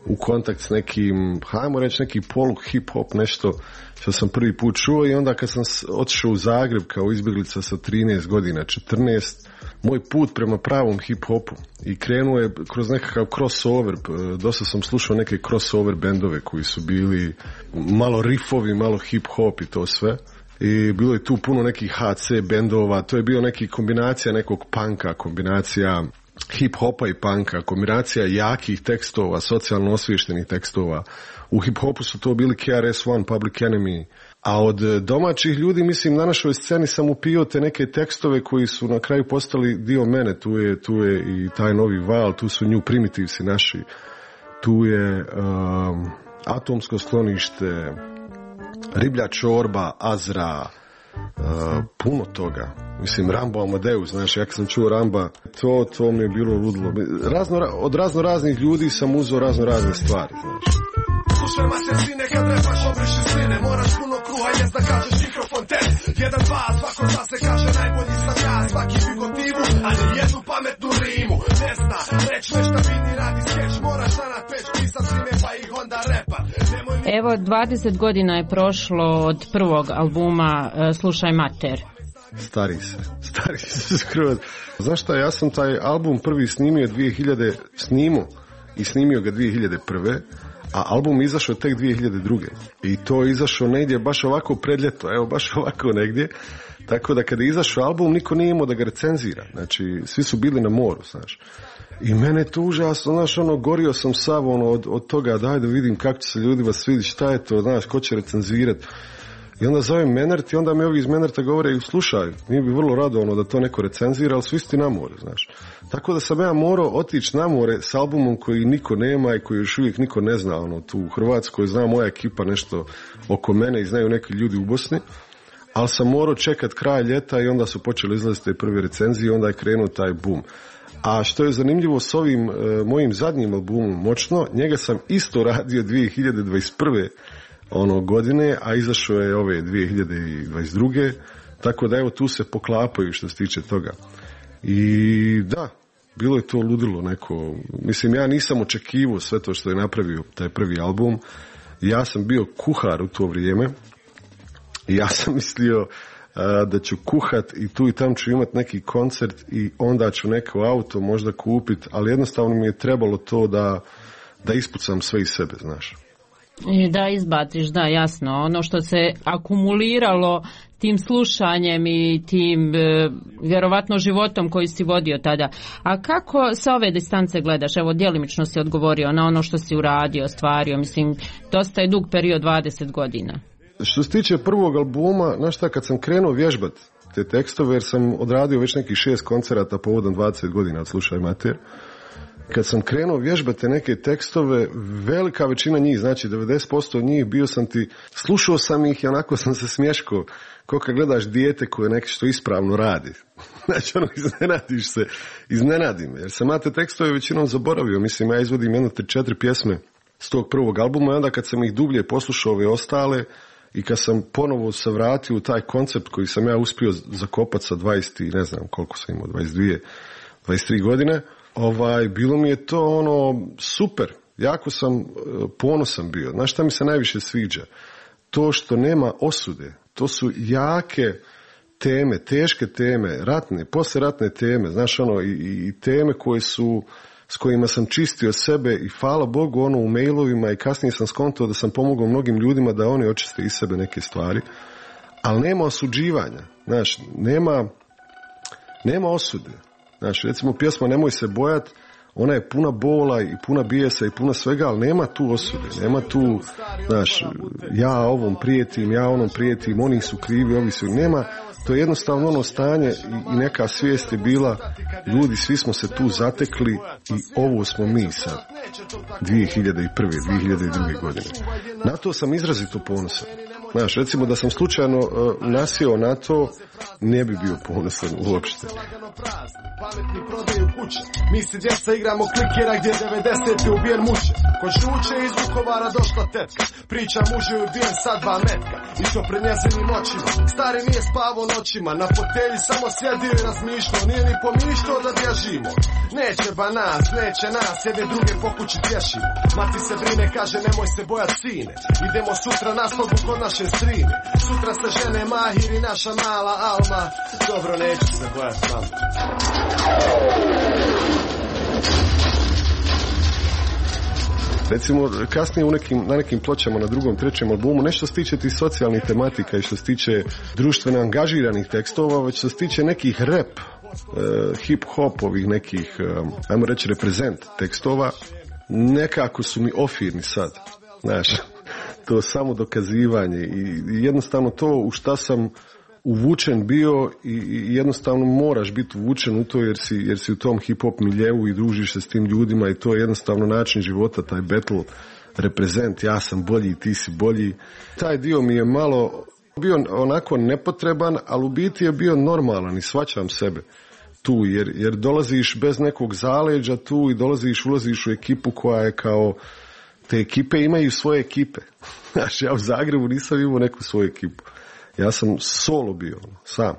u kontakt s nekim, hajmo reći neki polu hip-hop, nešto što sam prvi put čuo i onda kad sam otišao u Zagreb kao izbjeglica sa trinaest godina, četrnaest, moj put prema pravom hip-hopu i krenuo je kroz nekakav crossover, dosta sam slušao neke crossover bendove koji su bili malo riffovi, malo hip-hop i to sve. I bilo je tu puno nekih ha ce bendova, to je bio neki kombinacija nekog punka, kombinacija hip-hopa i punka, kombinacija jakih tekstova, socijalno osviještenih tekstova. U hip-hopu su to bili K R S One, Public Enemy, a od domaćih ljudi, mislim, na našoj sceni sam upio te neke tekstove koji su na kraju postali dio mene, tu je, tu je i taj novi val, tu su New Primitivesi naši, tu je um, Atomsko sklonište, Riblja čorba, Azra, uh, puno toga. Mislim, Rambo Amadeus, znaš, ja kad sam čuo Ramba, to, to mi je bilo ludilo. Razno, od razno raznih ljudi sam uzeo razno razne stvari, znaš. Slušaj ma se sine, kad repaš obriši sline, moraš puno kruha jest da kažeš mikrofon ten. Jedan, dva, svako da se kaže najbolji sam ja, svaki figotivu, a ni jednu pametnu rimu. Ne zna, reč nešta vidi, radi skeč, moraš da na peć pisat sline, pa ih onda repa. Evo, dvadeset godina je prošlo od prvog albuma uh, Slušaj mater. Stari se, stari se skroz. Znaš šta, ja sam taj album prvi snimio dvije hiljade, snimio i snimio ga dvije hiljade prve. A album izašao tek dvije hiljade druge. I to je izašao negdje baš ovako pred ljeto, evo baš ovako negdje. Tako da kada je izašao album, niko nije imao da ga recenzira. Znači, svi su bili na moru, znaš. I mene je to užasno, znaš, ono, gorio sam sav, ono, od, od toga, daj da vidim kako će se ljudima svidjeti, šta je to, znaš, ko će recenzirati. I onda zovem Menert i onda mi ovi iz Menerta govore, slušaj, mi bi vrlo rado ono da to neko recenzira, ali su isti na more, znaš. Tako da sam ja morao otići na more s albumom koji niko nema i koji još uvijek niko ne zna, ono, tu u Hrvatskoj zna moja ekipa nešto oko mene i znaju neki ljudi u Bosni, ali sam morao čekat kraj ljeta i onda su počeli izlaziti te prve recenzije i onda je krenuo taj boom. A što je zanimljivo s ovim e, mojim zadnjim albumom Moćno, njega sam isto radio dvije hiljade dvadeset prve ono godine, a izašao je ove dvije hiljade dvadeset druge. Tako da evo tu se poklapaju što se tiče toga. I da, bilo je to ludilo neko. Mislim, ja nisam očekivao sve to što je napravio taj prvi album. Ja sam bio kuhar u to vrijeme i ja sam mislio a, da ću kuhat i tu i tam ću imat neki koncert i onda ću neko auto možda kupit, ali jednostavno mi je trebalo to da, da ispucam sve iz sebe, znaš. Da izbaciš, da, jasno. Ono što se akumuliralo tim slušanjem i tim e, vjerovatno životom koji si vodio tada. A kako sa ove distance gledaš? Evo, djelimično si odgovorio na ono što si uradio, ostvario. Mislim, dosta je dug period, dvadeset godina. Što se tiče prvog albuma, znaš šta, kad sam krenuo vježbat te tekstove, jer sam odradio već nekih šest koncerata povodom dvadeset godina od Slušaj mater, kad sam krenuo vježbati neke tekstove, velika većina njih, znači devedeset posto njih, bio sam ti, slušao sam ih i onako sam se smješkao, kao kad gledaš dijete koje neki što ispravno radi. Znači, ono, iznenadiš se, iznenadi me, jer sam ja te tekstove većinom zaboravio. Mislim, ja izvodim jedno tri četiri pjesme s tog prvog albuma i onda kad sam ih dublje poslušao ove ostale i kad sam ponovo se vratio u taj koncept koji sam ja uspio zakopati sa dvadeset, ne znam koliko sam imao, dvadeset dvije, dvadeset tri godine, Ovaj, bilo mi je to ono super, jako sam ponosan bio. Znaš šta mi se najviše sviđa? To što nema osude, to su jake teme, teške teme, ratne, posleratne teme, znaš ono, i, i teme koje su, s kojima sam čistio sebe i hvala Bogu ono u mailovima i kasnije sam skontao da sam pomogao mnogim ljudima da oni očiste iz sebe neke stvari, ali nema osuđivanja, znaš, nema, nema osude. Znaš, recimo pjesma Nemoj se bojat, ona je puna bola i puna bijesa i puna svega, ali nema tu osude, nema tu, znaš, ja ovom prijetim, ja onom prijetim, oni su krivi, ovi su, nema, to je jednostavno ono stanje i, i neka svijest je bila, ljudi, svi smo se tu zatekli i ovo smo mi sad, dvije hiljade prve, dvije hiljade druge godine. Na to sam izrazito ponosan. Znaš, recimo da sam slučajno uh, nasjeo na to, ne bi bio ponosan uopšte. Pametni prodaju kuće, mi se djeca igramo klikera gdje devedesete ubijen muče. Ko žuče iz Vukovara došla tetka, priča mužu je ubijen sad dva metka, i to pred njezinim očima. Stari nije spavo noćima, na fotelji samo sjedio i razmišljao, nije ni pomišljao da bježimo. Neće ba nas, neće nas, jedne druge po kući tješimo. Mati se brine, kaže nemoj se bojat sine, idemo sutra na slobu kod naše strine. Sutra se žene Mahir i naša mala Alma, dobro neću se bojat mama. Recimo, kasnije u nekim, na nekim pločama na drugom, trećem albumu, nešto se tiče tih socijalnih tematika i što se tiče društveno angažiranih tekstova, već što se tiče nekih rap, uh, hip-hop, ovih nekih, um, ajmo reći, reprezent tekstova, nekako su mi ofirni sad, znaš, to samo dokazivanje i, i jednostavno to u šta sam uvučen bio i, i jednostavno moraš biti uvučen u to jer si, jer si u tom hip-hop miljeu i družiš se s tim ljudima i to je jednostavno način života, taj battle reprezent, ja sam bolji, ti si bolji. Taj dio mi je malo bio onako nepotreban, ali u biti je bio normalan i shvaćam sebe tu, jer, jer dolaziš bez nekog zaleđa tu i dolaziš, ulaziš u ekipu koja je kao, te ekipe imaju svoje ekipe. Znači, ja u Zagrebu nisam imao neku svoju ekipu. Ja sam solo bio, sam.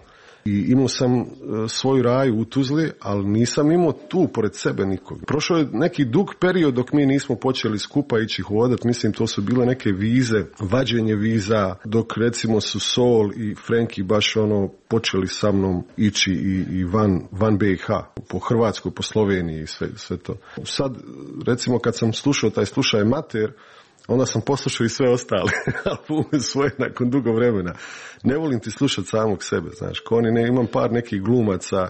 I imao sam uh, svoju raju u Tuzli, ali nisam imao tu pored sebe nikog. Prošao je neki dug period dok mi nismo počeli skupa ići hodat. Mislim, to su bile neke vize, vađenje viza, dok recimo su Sol i Frenki baš ono počeli sa mnom ići i, i van, van B i H, po Hrvatskoj, po Sloveniji i sve, sve to. Sad, recimo, kad sam slušao taj slušaj Mater, onda sam poslušao i sve ostale albume svoje nakon dugo vremena. Ne volim ti slušati samog sebe, znaš, ko oni ne, imam par nekih glumaca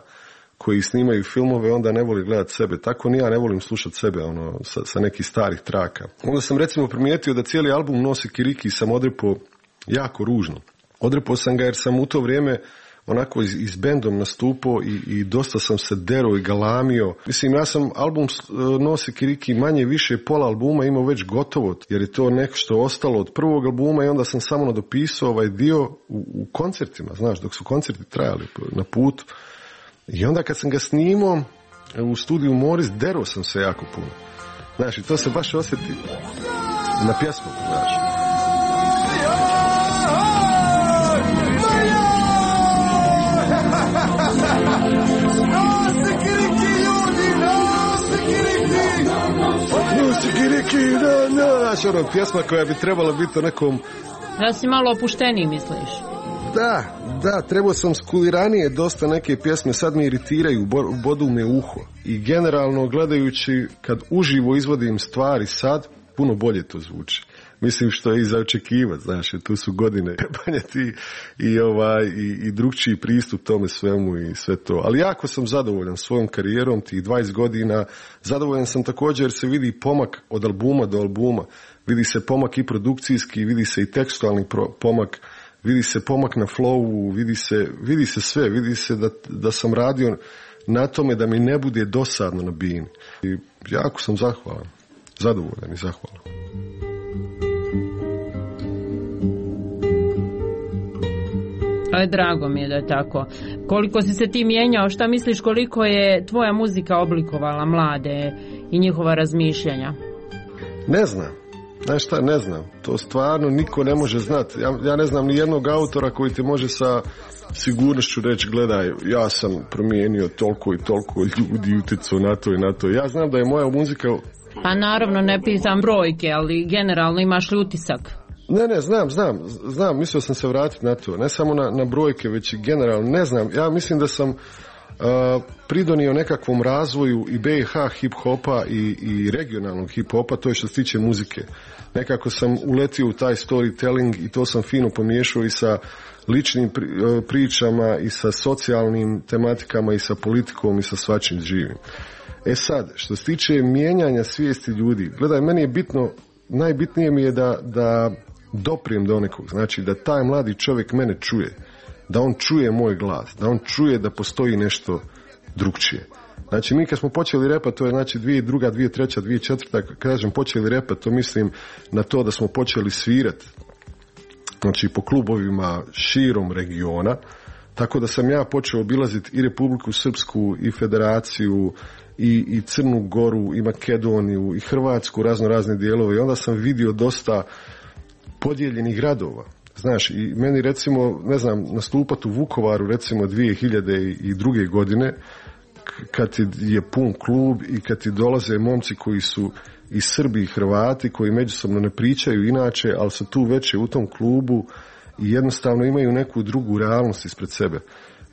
koji snimaju filmove, onda ne voli gledati sebe. Tako ni ja ne volim slušati sebe, ono, sa, sa nekih starih traka. Onda sam recimo primijetio da cijeli album nosi kiriki i sam odrepao jako ružno. Odrepao sam ga jer sam u to vrijeme onako iz, iz bendom nastupao i, i dosta sam se derao i galamio. Mislim, ja sam album Nosi kiriki manje više pola albuma imao već gotovo, jer je to nešto ostalo od prvog albuma i onda sam samo nadopisao ovaj dio u, u koncertima, znaš, dok su koncerti trajali na putu. I onda kad sam ga snimao u studiju Moris, derao sam se jako puno. Znaš, i to se baš osjeti na pjesmu, znaš. Znaš, ono, pjesma koja bi trebala biti o nekom... Da si malo opušteniji, misliš? Da, da, trebao sam skuliranije dosta neke pjesme, sad me iritiraju, bodu me uho. I generalno, gledajući, kad uživo izvodim stvari sad, puno bolje to zvuči. Mislim što je i za očekivati, znaš, tu su godine banjati i, ovaj, i, i drugčiji pristup tome svemu i sve to. Ali jako sam zadovoljan svojom karijerom, tih dvadeset godina. Zadovoljan sam također jer se vidi pomak od albuma do albuma. Vidi se pomak i produkcijski, vidi se i tekstualni pomak, vidi se pomak na flowu, vidi se, vidi se sve, vidi se da, da sam radio na tome da mi ne bude dosadno na bini. I jako sam zahvalan, zadovoljan i zahvalan. Ale drago mi je da je tako. Koliko si se ti mijenjao, šta misliš koliko je tvoja muzika oblikovala mlade i njihova razmišljanja? Ne znam. Znaš šta, ne znam. To stvarno niko ne može znati. Ja, ja ne znam ni jednog autora koji ti može sa sigurnošću reći, gledaj, ja sam promijenio toliko i toliko ljudi, utjecao na to i na to. Ja znam da je moja muzika... Pa naravno ne pitam brojke, ali generalno imaš li utisak? Ne, ne, znam, znam, znam, mislio sam se vratiti na to, ne samo na, na brojke, već i generalno, ne znam, ja mislim da sam uh, pridonio nekakvom razvoju i B i H hip-hopa i, i regionalnog hip-hopa, to je što se tiče muzike. Nekako sam uletio u taj storytelling i to sam fino pomiješao i sa ličnim pri, uh, pričama i sa socijalnim tematikama i sa politikom i sa svačim živim. E sad, što se tiče mijenjanja svijesti ljudi, gledaj, meni je bitno, najbitnije mi je da, da doprijem do nekog, znači da taj mladi čovjek mene čuje, da on čuje moj glas, da on čuje da postoji nešto drugčije. Znači mi kad smo počeli repat, to je znači dvije druga, dvije treća, dvije četvrta, kad kažem počeli repat, to mislim na to da smo počeli svirati, znači po klubovima širom regiona, tako da sam ja počeo obilaziti i Republiku Srpsku i Federaciju i, i Crnu Goru i Makedoniju i Hrvatsku, razno razne dijelove i onda sam vidio dosta podijeljenih gradova. Znaš, i meni recimo, ne znam, nastupat u Vukovaru recimo dvije hiljade druge godine kad je pun klub i kad ti dolaze momci koji su i Srbi i Hrvati koji međusobno ne pričaju inače, ali su tu veće u tom klubu i jednostavno imaju neku drugu realnost ispred sebe.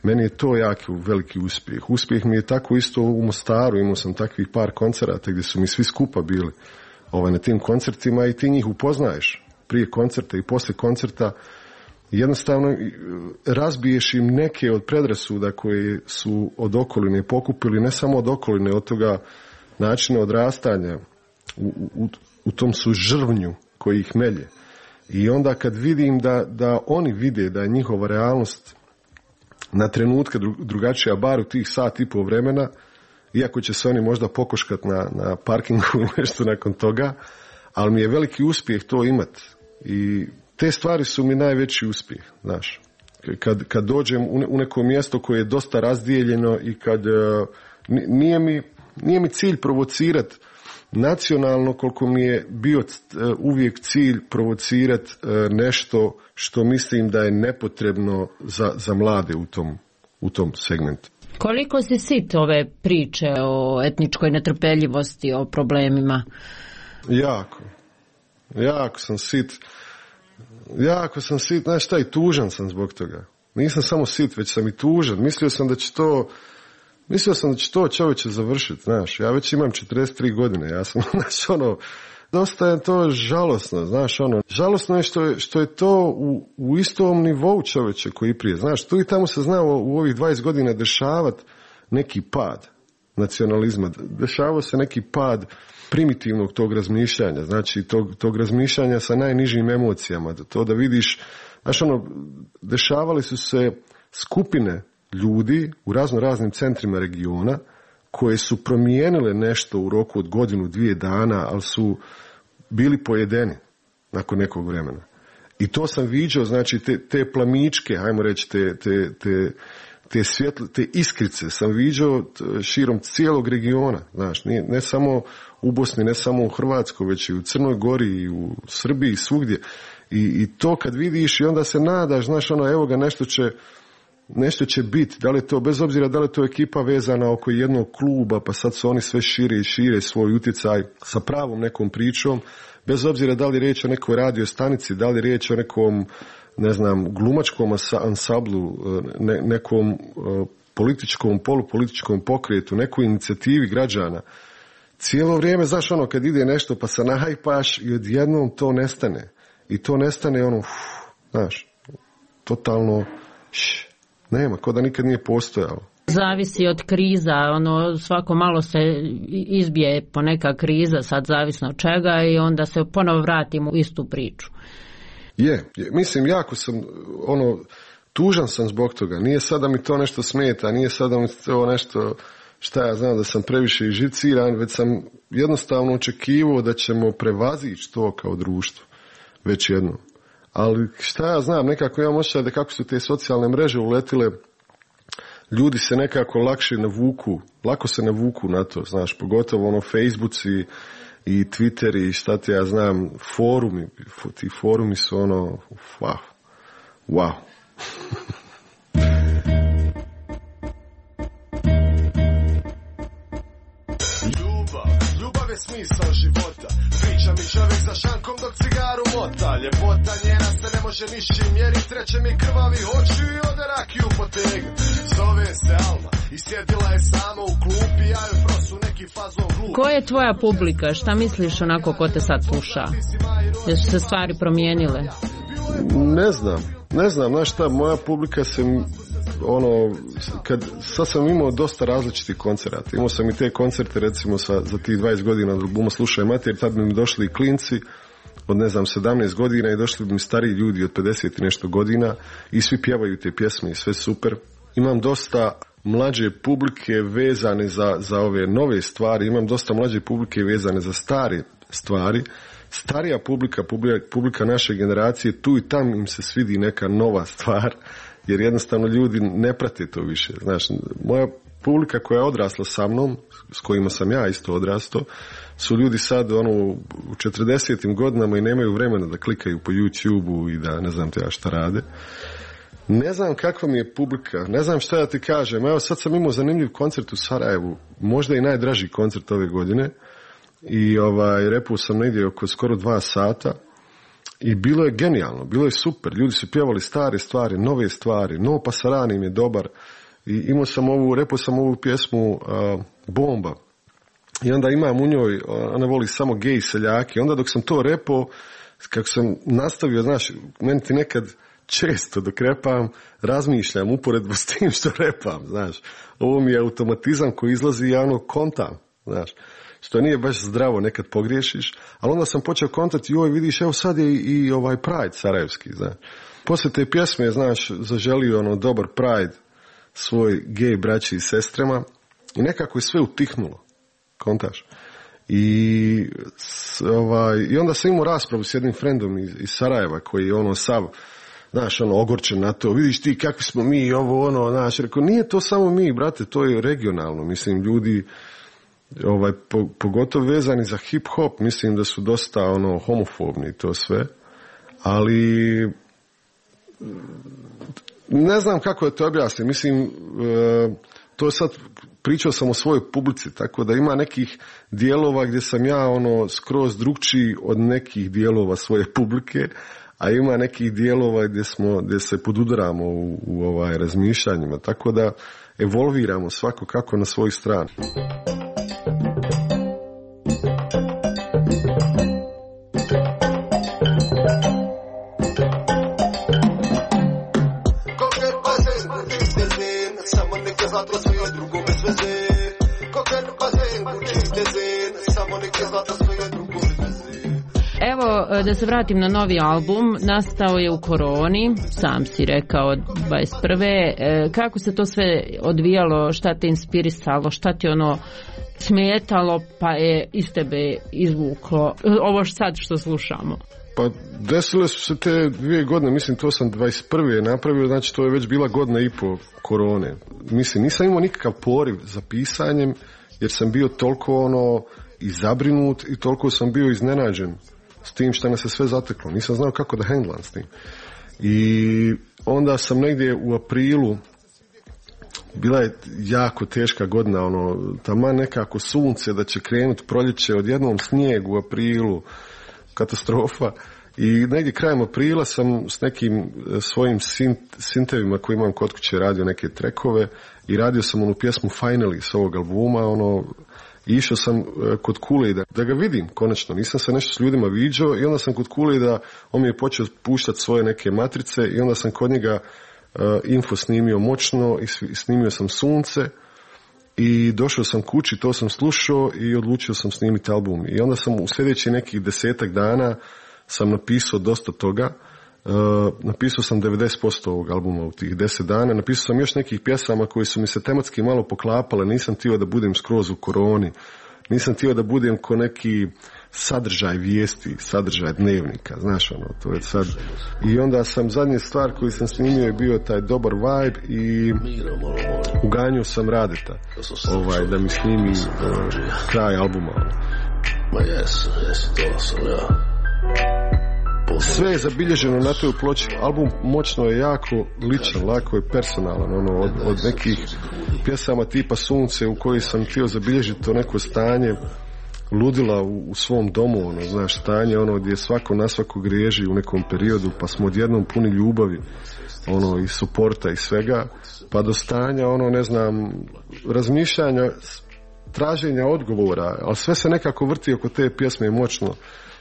Meni je to jako veliki uspjeh. Uspjeh mi je tako isto u Mostaru, imao sam takvih par koncerata gdje su mi svi skupa bili ovaj, na tim koncertima i ti njih upoznaješ prije koncerta i poslije koncerta. Jednostavno razbiješ im neke od predrasuda koje su od okoline pokupili, ne samo od okoline, od toga načina odrastanja u, u, u tom su žrvnju koji ih melje. I onda kad vidim da, da oni vide da je njihova realnost na trenutke drugačija, bar u tih sat i pol vremena, iako će se oni možda pokoškat na, na parkingu ili nešto nakon toga, ali mi je veliki uspjeh to imat. I te stvari su mi najveći uspjeh, znaš. Kad, kad dođem u neko mjesto koje je dosta razdijeljeno i kad uh, nije, mi, nije mi cilj provocirati nacionalno koliko mi je bio uh, uvijek cilj provocirati uh, nešto što mislim da je nepotrebno za, za mlade u tom, u tom segmentu. Koliko si sit ove priče o etničkoj netrpeljivosti, o problemima? Jako. Jako sam sit. Jako sam sit, znaš šta, i tužan sam zbog toga. Nisam samo sit, već sam i tužan. Mislio sam da će to, mislio sam da će to čovječe završiti, znaš. Ja već imam četrdeset tri godine, ja sam, znaš, ono, dosta je to žalosno, znaš, ono, žalosno je što je, što je to u, u istom nivou čovječe koji prije, znaš, tu i tamo se znao u ovih dvadeset godina dešavati neki pad nacionalizma, dešavao se neki pad primitivnog tog razmišljanja, znači tog, tog razmišljanja sa najnižim emocijama, to da vidiš, znaš, ono, dešavali su se skupine ljudi u razno raznim centrima regiona koje su promijenile nešto u roku od godinu, dvije dana, ali su bili pojedeni nakon nekog vremena. I to sam viđao, znači te, te plamičke, hajmo reći, te, te, te, te, svjetl, te iskrice sam viđao širom cijelog regiona, znaš, ne, ne samo u Bosni, ne samo u Hrvatskoj, već i u Crnoj Gori i u Srbiji, svugdje. I, i to kad vidiš i onda se nadaš, znaš, ono, evo ga, nešto će nešto će biti, da li je to, bez obzira da li je to ekipa vezana oko jednog kluba, pa sad su oni sve šire i šire svoj utjecaj sa pravom nekom pričom, bez obzira da li je riječ o nekoj radio stanici, da li je riječ o nekom, ne znam, glumačkom ansamblu, ne, nekom političkom, polupolitičkom pokretu, nekoj inicijativi građana. Cijelo vrijeme, znaš, ono, kad ide nešto pa se nahajpaš i odjednom to nestane. I to nestane, ono, uf, znaš, totalno, š, nema, ko da nikad nije postojalo. Zavisi od kriza, ono, svako malo se izbije po neka kriza, sad zavisno od čega, i onda se ponovo vratimo u istu priču. Je, je, mislim, jako sam, ono, tužan sam zbog toga. Nije sada mi to nešto smeta, nije sada mi to nešto, šta ja znam, da sam previše živciran, već sam jednostavno očekivao da ćemo prevazići to kao društvo, već jedno. Ali šta ja znam, nekako imam osjećaj da kako su te socijalne mreže uletile, ljudi se nekako lakše navuku, lako se navuku na to, znaš, pogotovo ono Facebooci i Twitteri i šta ti ja znam, forumi, ti forumi su ono, wow, wow. Ljubav, ljubav je smisao života. Priča mi čovjek za šankom dok cigaru mota. Ljepota njena se ne može ničim mjerit. Treće mi krvavi oči i ode rakiju potegnu. Zove se Alma i sjedila je sama u klupi, ja joj prosu neki fazon glup. Ko je tvoja publika? Šta misliš onako ko te sad sluša? Jesu se stvari promijenile? Ne znam, ne znam, znaš šta, moja publika se, ono, kad, sad sam imao dosta različitih koncerata. Imao sam i te koncerte, recimo, sa, za tih dvadeset godina od albuma Slušaj Mater, tad bi mi došli i klinci od, ne znam, sedamnaest godina i došli bi mi stariji ljudi od pedeset i nešto godina i svi pjevaju te pjesme i sve super. Imam dosta mlađe publike vezane za, za ove nove stvari, imam dosta mlađe publike vezane za stare stvari. Starija publika, publika, publika naše generacije, tu i tam im se svidi neka nova stvar, jer jednostavno ljudi ne prate to više. Znaš, moja publika koja je odrasla sa mnom, s kojima sam ja isto odrastao, su ljudi sad ono, u četrdesetim godinama i nemaju vremena da klikaju po YouTubeu i da ne znam te ja šta rade. Ne znam kakva mi je publika, ne znam šta ja ti kažem. Evo sad sam imao zanimljiv koncert u Sarajevu, možda i najdraži koncert ove godine. I ovaj, repao sam negdje oko skoro dva sata i bilo je genijalno, bilo je super, ljudi su pjevali stare stvari, nove stvari, No Pasarani im je dobar i imao sam ovu, repao sam ovu pjesmu uh, Bomba i onda imam u njoj, ona voli samo gej seljaki, onda dok sam to repao, kako sam nastavio, znaš, meni ti nekad često dok repam, razmišljam uporedbu s tim što repam, znaš, ovo mi je automatizam koji izlazi i ja ono kontam, znaš, što nije baš zdravo, nekad pogriješiš, ali onda sam počeo kontati, joj vidiš, evo sad je i, i ovaj Pride sarajevski, znaš. Poslije te pjesme, znaš, zaželio ono dobar Pride svoj gej braći i sestrama i nekako je sve utihnulo, kontaš. I, ovaj, i onda sam imao raspravu s jednim frendom iz, iz Sarajeva koji je ono sav, znaš, ono, ogorčen na to, vidiš ti kakvi smo mi, ovo, ono, znaš, rekao, nije to samo mi, brate, to je regionalno, mislim, ljudi, ovaj, po, pogotovo vezani za hip-hop, mislim da su dosta, ono, homofobni i to sve, ali ne znam kako da to objasnim, mislim, e, to sad pričao sam o svojoj publici, tako da ima nekih dijelova gdje sam ja ono skroz drugčiji od nekih dijelova svoje publike, a ima nekih dijelova gdje smo, gdje se podudaramo u, u ovaj razmišljanjima, tako da evolviramo svako kako na svoju stranu. Evo, da se vratim na novi album, nastao je u koroni, sam si rekao dvadeset prve. Kako se to sve odvijalo, šta te inspirisalo, šta ti ono smetalo, pa je iz tebe izvuklo ovo sad što slušamo? Pa desile su se te dvije godine, mislim to sam dvadeset prve napravio, znači to je već bila godina i po korone. Mislim, nisam imao nikakav poriv za pisanjem, jer sam bio toliko ono i zabrinut i toliko sam bio iznenađen s tim što nas se sve zateklo. Nisam znao kako da handlam s tim. I onda sam negdje u aprilu, bila je jako teška godina, ono, taman nekako sunce da će krenuti proljeće, odjednom snijeg u aprilu, katastrofa. I negdje krajem aprila sam s nekim svojim sint, sintevima koji imam kod kuće radio neke trekove i radio sam onu pjesmu Finally s ovog albuma, ono, i išao sam kod Kule da, da ga vidim konačno, nisam se nešto s ljudima viđao i onda sam kod Kule da on mi je počeo puštati svoje neke matrice i onda sam kod njega uh, info snimio moćno i snimio sam sunce i došao sam kući, to sam slušao i odlučio sam snimiti album. I onda sam u sljedećih nekih desetak dana sam napisao dosta toga. Uh, napisao sam devedeset posto ovog albuma u tih deset dana. Napisao sam još nekih pjesama koje su mi se tematski malo poklapale. Nisam htio da budem skroz u koroni. Nisam htio da budem ko neki sadržaj vijesti, sadržaj dnevnika. Znaš ono, to je sad. I onda sam, zadnja stvar koju sam snimio je bio taj dobar vibe i uganjio sam Radeta ovaj, da mi snimi uh, kraj albuma. Sve je zabilježeno na toj ploči. Album moćno je jako ličan, lako je personalan, ono, od, od nekih pjesama tipa Sunce u kojoj sam htio zabilježiti to neko stanje ludila u, u svom domu, ono, znaš, stanje ono gdje svako na svako griježi u nekom periodu, pa smo odjednom puni ljubavi, ono, i suporta i svega, pa do stanja, ono, ne znam, razmišljanja, traženja odgovora, ali sve se nekako vrti oko te pjesme moćno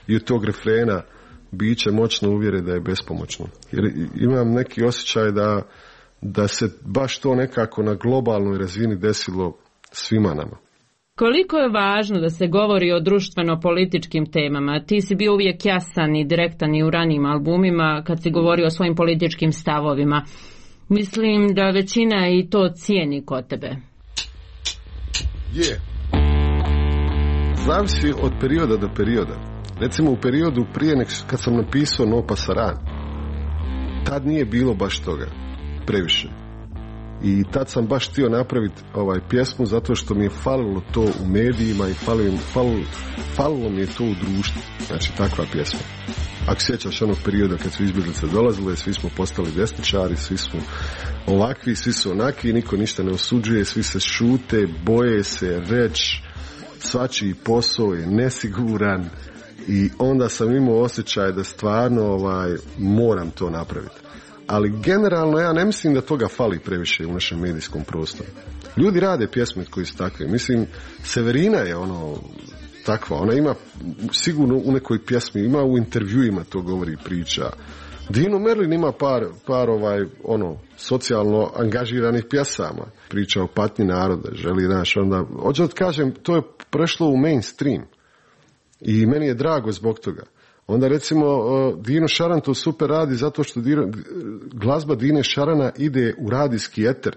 i od tog refrena biće moćno uvjere da je bespomoćno. Jer imam neki osjećaj da, da se baš to nekako na globalnoj razini desilo svima nama. Koliko je važno da se govori o društveno-političkim temama? Ti si bio uvijek jasan i direktan i u ranijim albumima kad si govorio o svojim političkim stavovima. Mislim da većina i to cijeni kod tebe. Je. Zavisi od perioda do perioda. Recimo u periodu prije nek, kad sam napisao No Pasaran, tad nije bilo baš toga previše. I tad sam baš htio napraviti ovaj pjesmu zato što mi je falilo to u medijima i falilo, falilo, falilo mi je to u društvu. Znači takva pjesma. Ako sjećaš onog perioda kad su izbjeglice dolazile, svi smo postali desničari, svi smo ovakvi, svi su onaki, niko ništa ne osuđuje, svi se šute, boje se reći, svačiji posao je nesiguran. I onda sam imao osjećaj da stvarno ovaj, moram to napraviti. Ali generalno ja ne mislim da toga fali previše u našem medijskom prostoru. Ljudi rade pjesme koji su takve. Mislim, Severina je ono takva. Ona ima sigurno u nekoj pjesmi, ima u intervjuima to govori priča. Dino Merlin ima par, par ovaj, ono, socijalno angažiranih pjesama. Priča o patnji naroda. Želi, znaš, onda... Hoću da kažem, to je prešlo u mainstream. I meni je drago zbog toga. Onda recimo Dino Šaran to super radi zato što Dino, glazba Dine Šarana ide u radijski eter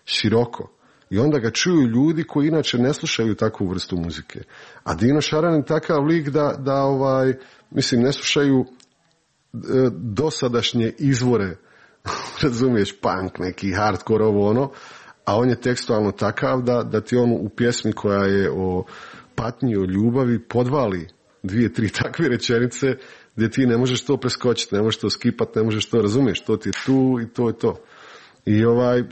široko. I onda ga čuju ljudi koji inače ne slušaju takvu vrstu muzike. A Dino Šaran je takav lik da, da ovaj, mislim, ne slušaju e, dosadašnje izvore, razumiješ, punk, neki hardcore, ovo ono, a on je tekstualno takav da, da ti on u pjesmi koja je o patnji, o ljubavi, podvali dvije, tri takve rečenice gdje ti ne možeš to preskočiti, ne možeš to skipati, ne možeš to, razumiješ, to ti je tu i to je to. I ovaj,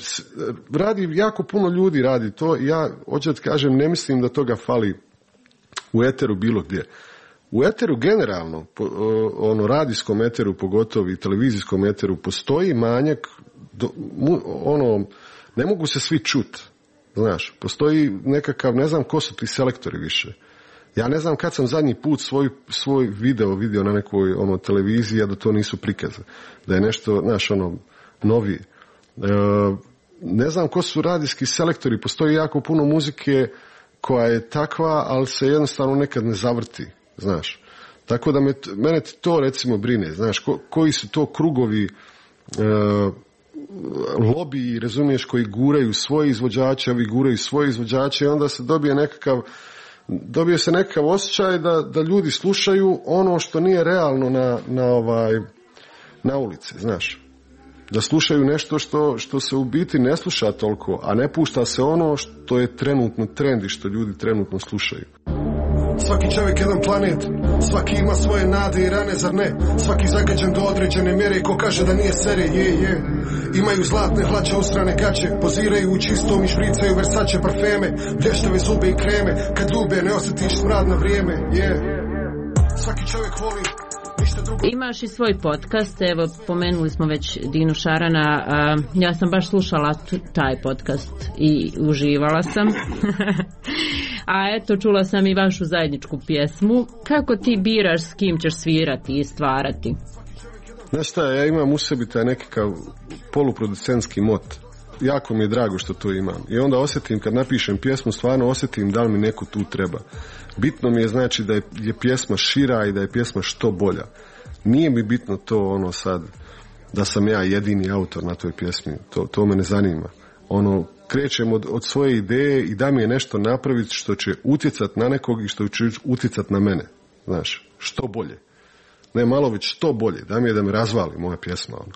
radi, jako puno ljudi radi to, ja hoću da kažem, ne mislim da toga fali u eteru bilo gdje. U eteru generalno, ono radijskom eteru pogotovo i televizijskom eteru postoji manjak, do, ono, ne mogu se svi čut, znaš, postoji nekakav, ne znam ko su ti selektori više. Ja ne znam kad sam zadnji put svoj, svoj video vidio na nekoj ono, televiziji, a da to nisu prikaze, da je nešto, znaš, ono, novije. E, ne znam ko su radijski selektori, postoji jako puno muzike koja je takva, ali se jednostavno nekad ne zavrti, znaš. Tako da me, mene to recimo brine, znaš, ko, koji su to krugovi e, lobiji, razumiješ, koji guraju svoje izvođače, ovi guraju svoje izvođače i onda se dobije nekakav, dobije se nekakav osjećaj da, da ljudi slušaju ono što nije realno na, na, ovaj, na ulici, znaš. Da slušaju nešto što, što se u biti ne sluša toliko, a ne pušta se ono što je trenutno trend i što ljudi trenutno slušaju. Svaki čovjek jedan planet, svaki ima svoje nade i rane, zar ne? Svaki zagađen do određene mjere, ko kaže da nije sere, je, je. Imaju zlatne hlače, usrane gaće, poziraju u čistom i špricaju Versace parfeme, blještave zube i kreme, kad ljube ne osjetiš smrad na vrijeme, je. Svaki čovjek voli. Imaš i svoj podcast, evo pomenuli smo već Dinu Šarana, a, ja sam baš slušala t- taj podcast i uživala sam. A eto, čula sam i vašu zajedničku pjesmu. Kako ti biraš s kim ćeš svirati i stvarati? Znaš šta, ja imam u sebi taj nekakav poluproducentski mot. Jako mi je drago što to imam. I onda osjetim, kad napišem pjesmu, stvarno osjetim da li mi neko tu treba. Bitno mi je znači da je, je pjesma šira i da je pjesma što bolja. Nije mi bitno to ono sad da sam ja jedini autor na toj pjesmi. To, to me ne zanima. Ono, krećem od, od svoje ideje i da mi je nešto napraviti što će utjecat na nekog i što će utjecat na mene. Znaš, što bolje. Ne malo već što bolje. Da mi je da me razvali moja pjesma. Ono.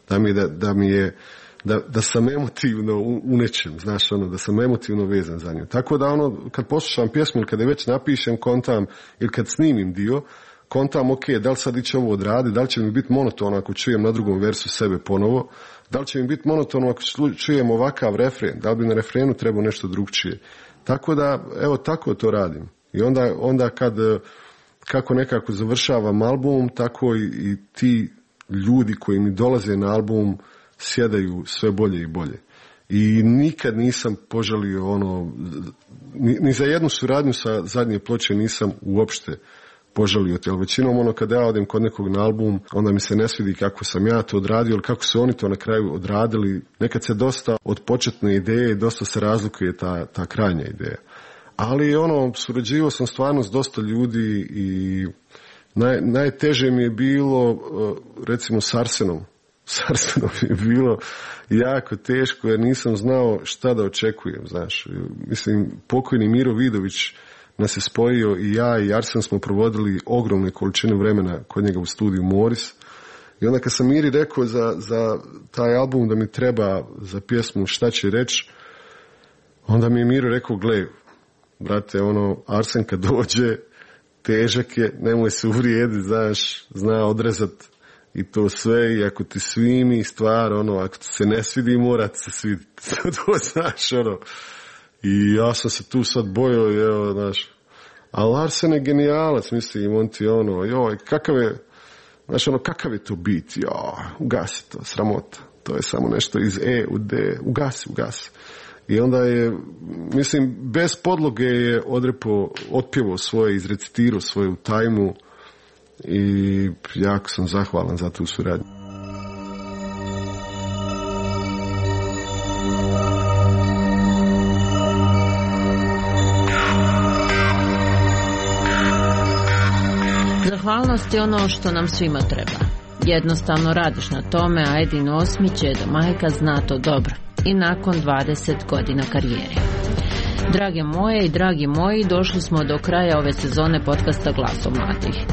Da mi je da, da mi je Da, da sam emotivno u, u nečem, znaš, ono, da sam emotivno vezan za nju. Tako da, ono, kad poslušam pjesmu ili kada već napišem, kontam, ili kad snimim dio, kontam, ok, da li sad iće ovo odradi, da li će mi biti monotono ako čujem na drugom versu sebe ponovo, da li će mi biti monotono ako čujem ovakav refren, da li bi na refrenu trebao nešto drugčije. Tako da, evo, tako to radim. I onda, onda kad, kako nekako završavam album, tako i, i ti ljudi koji mi dolaze na album sjedaju sve bolje i bolje. I nikad nisam požalio ono, ni, ni za jednu suradnju sa zadnje ploče nisam uopšte požalio. Jer većinom ono kada ja odem kod nekog na album, onda mi se ne svidi kako sam ja to odradio, ili kako su oni to na kraju odradili. Nekad se dosta od početne ideje, dosta se razlikuje ta, ta krajnja ideja. Ali ono, surađivao sam stvarno s dosta ljudi i naj, najteže mi je bilo recimo s Arsenom. S Arsenom je bilo jako teško jer nisam znao šta da očekujem, znaš. Mislim, pokojni Miro Vidović nas je spojio i ja i Arsen smo provodili ogromne količine vremena kod njega u studiju Moris. I onda kad sam Miri rekao za, za taj album da mi treba za pjesmu Šta će reći, onda mi je Miro rekao, gle, brate, ono, Arsen kad dođe, težak je, nemoj se uvrijediti, znaš, zna odrezat i to sve, i ako ti svimi stvar, ono, ako ti se ne svidi, mora ti se sviditi. To znaš, ono. I ja sam se tu sad bojao, evo, znaš. Ali Arsen je genijalac, mislim, on ti ono, joj, kakav je, znaš, ono, kakav je to bit, joj, ugasi to, sramota. To je samo nešto iz E u D, ugasi, ugasi. I onda je, mislim, bez podloge je odrepo, otpjevao svoje, izrecitirao svoje u tajmu i jako sam zahvalan za tu suradnju. Zahvalnost je ono što nam svima treba. Jednostavno radiš na tome, a Edin Osmić, Edo Majka, zna to dobro. i nakon dvadeset godina karijere. Drage moje i dragi moji, došli smo do kraja ove sezone podcasta Glasom mladih.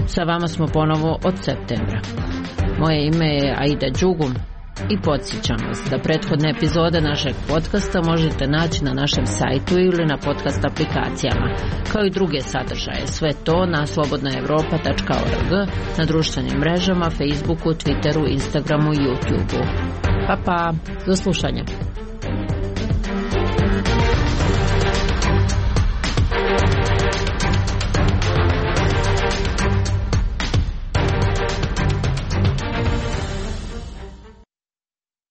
Sa vama smo ponovo od septembra. Moje ime je Aida Đugum i podsjećam vas da prethodne epizode našeg podcasta možete naći na našem sajtu ili na podcast aplikacijama, kao i druge sadržaje. Sve to na slobodna evropa tačka org, na društvenim mrežama, Facebooku, Twitteru, Instagramu i YouTubeu. Pa pa, do slušanja.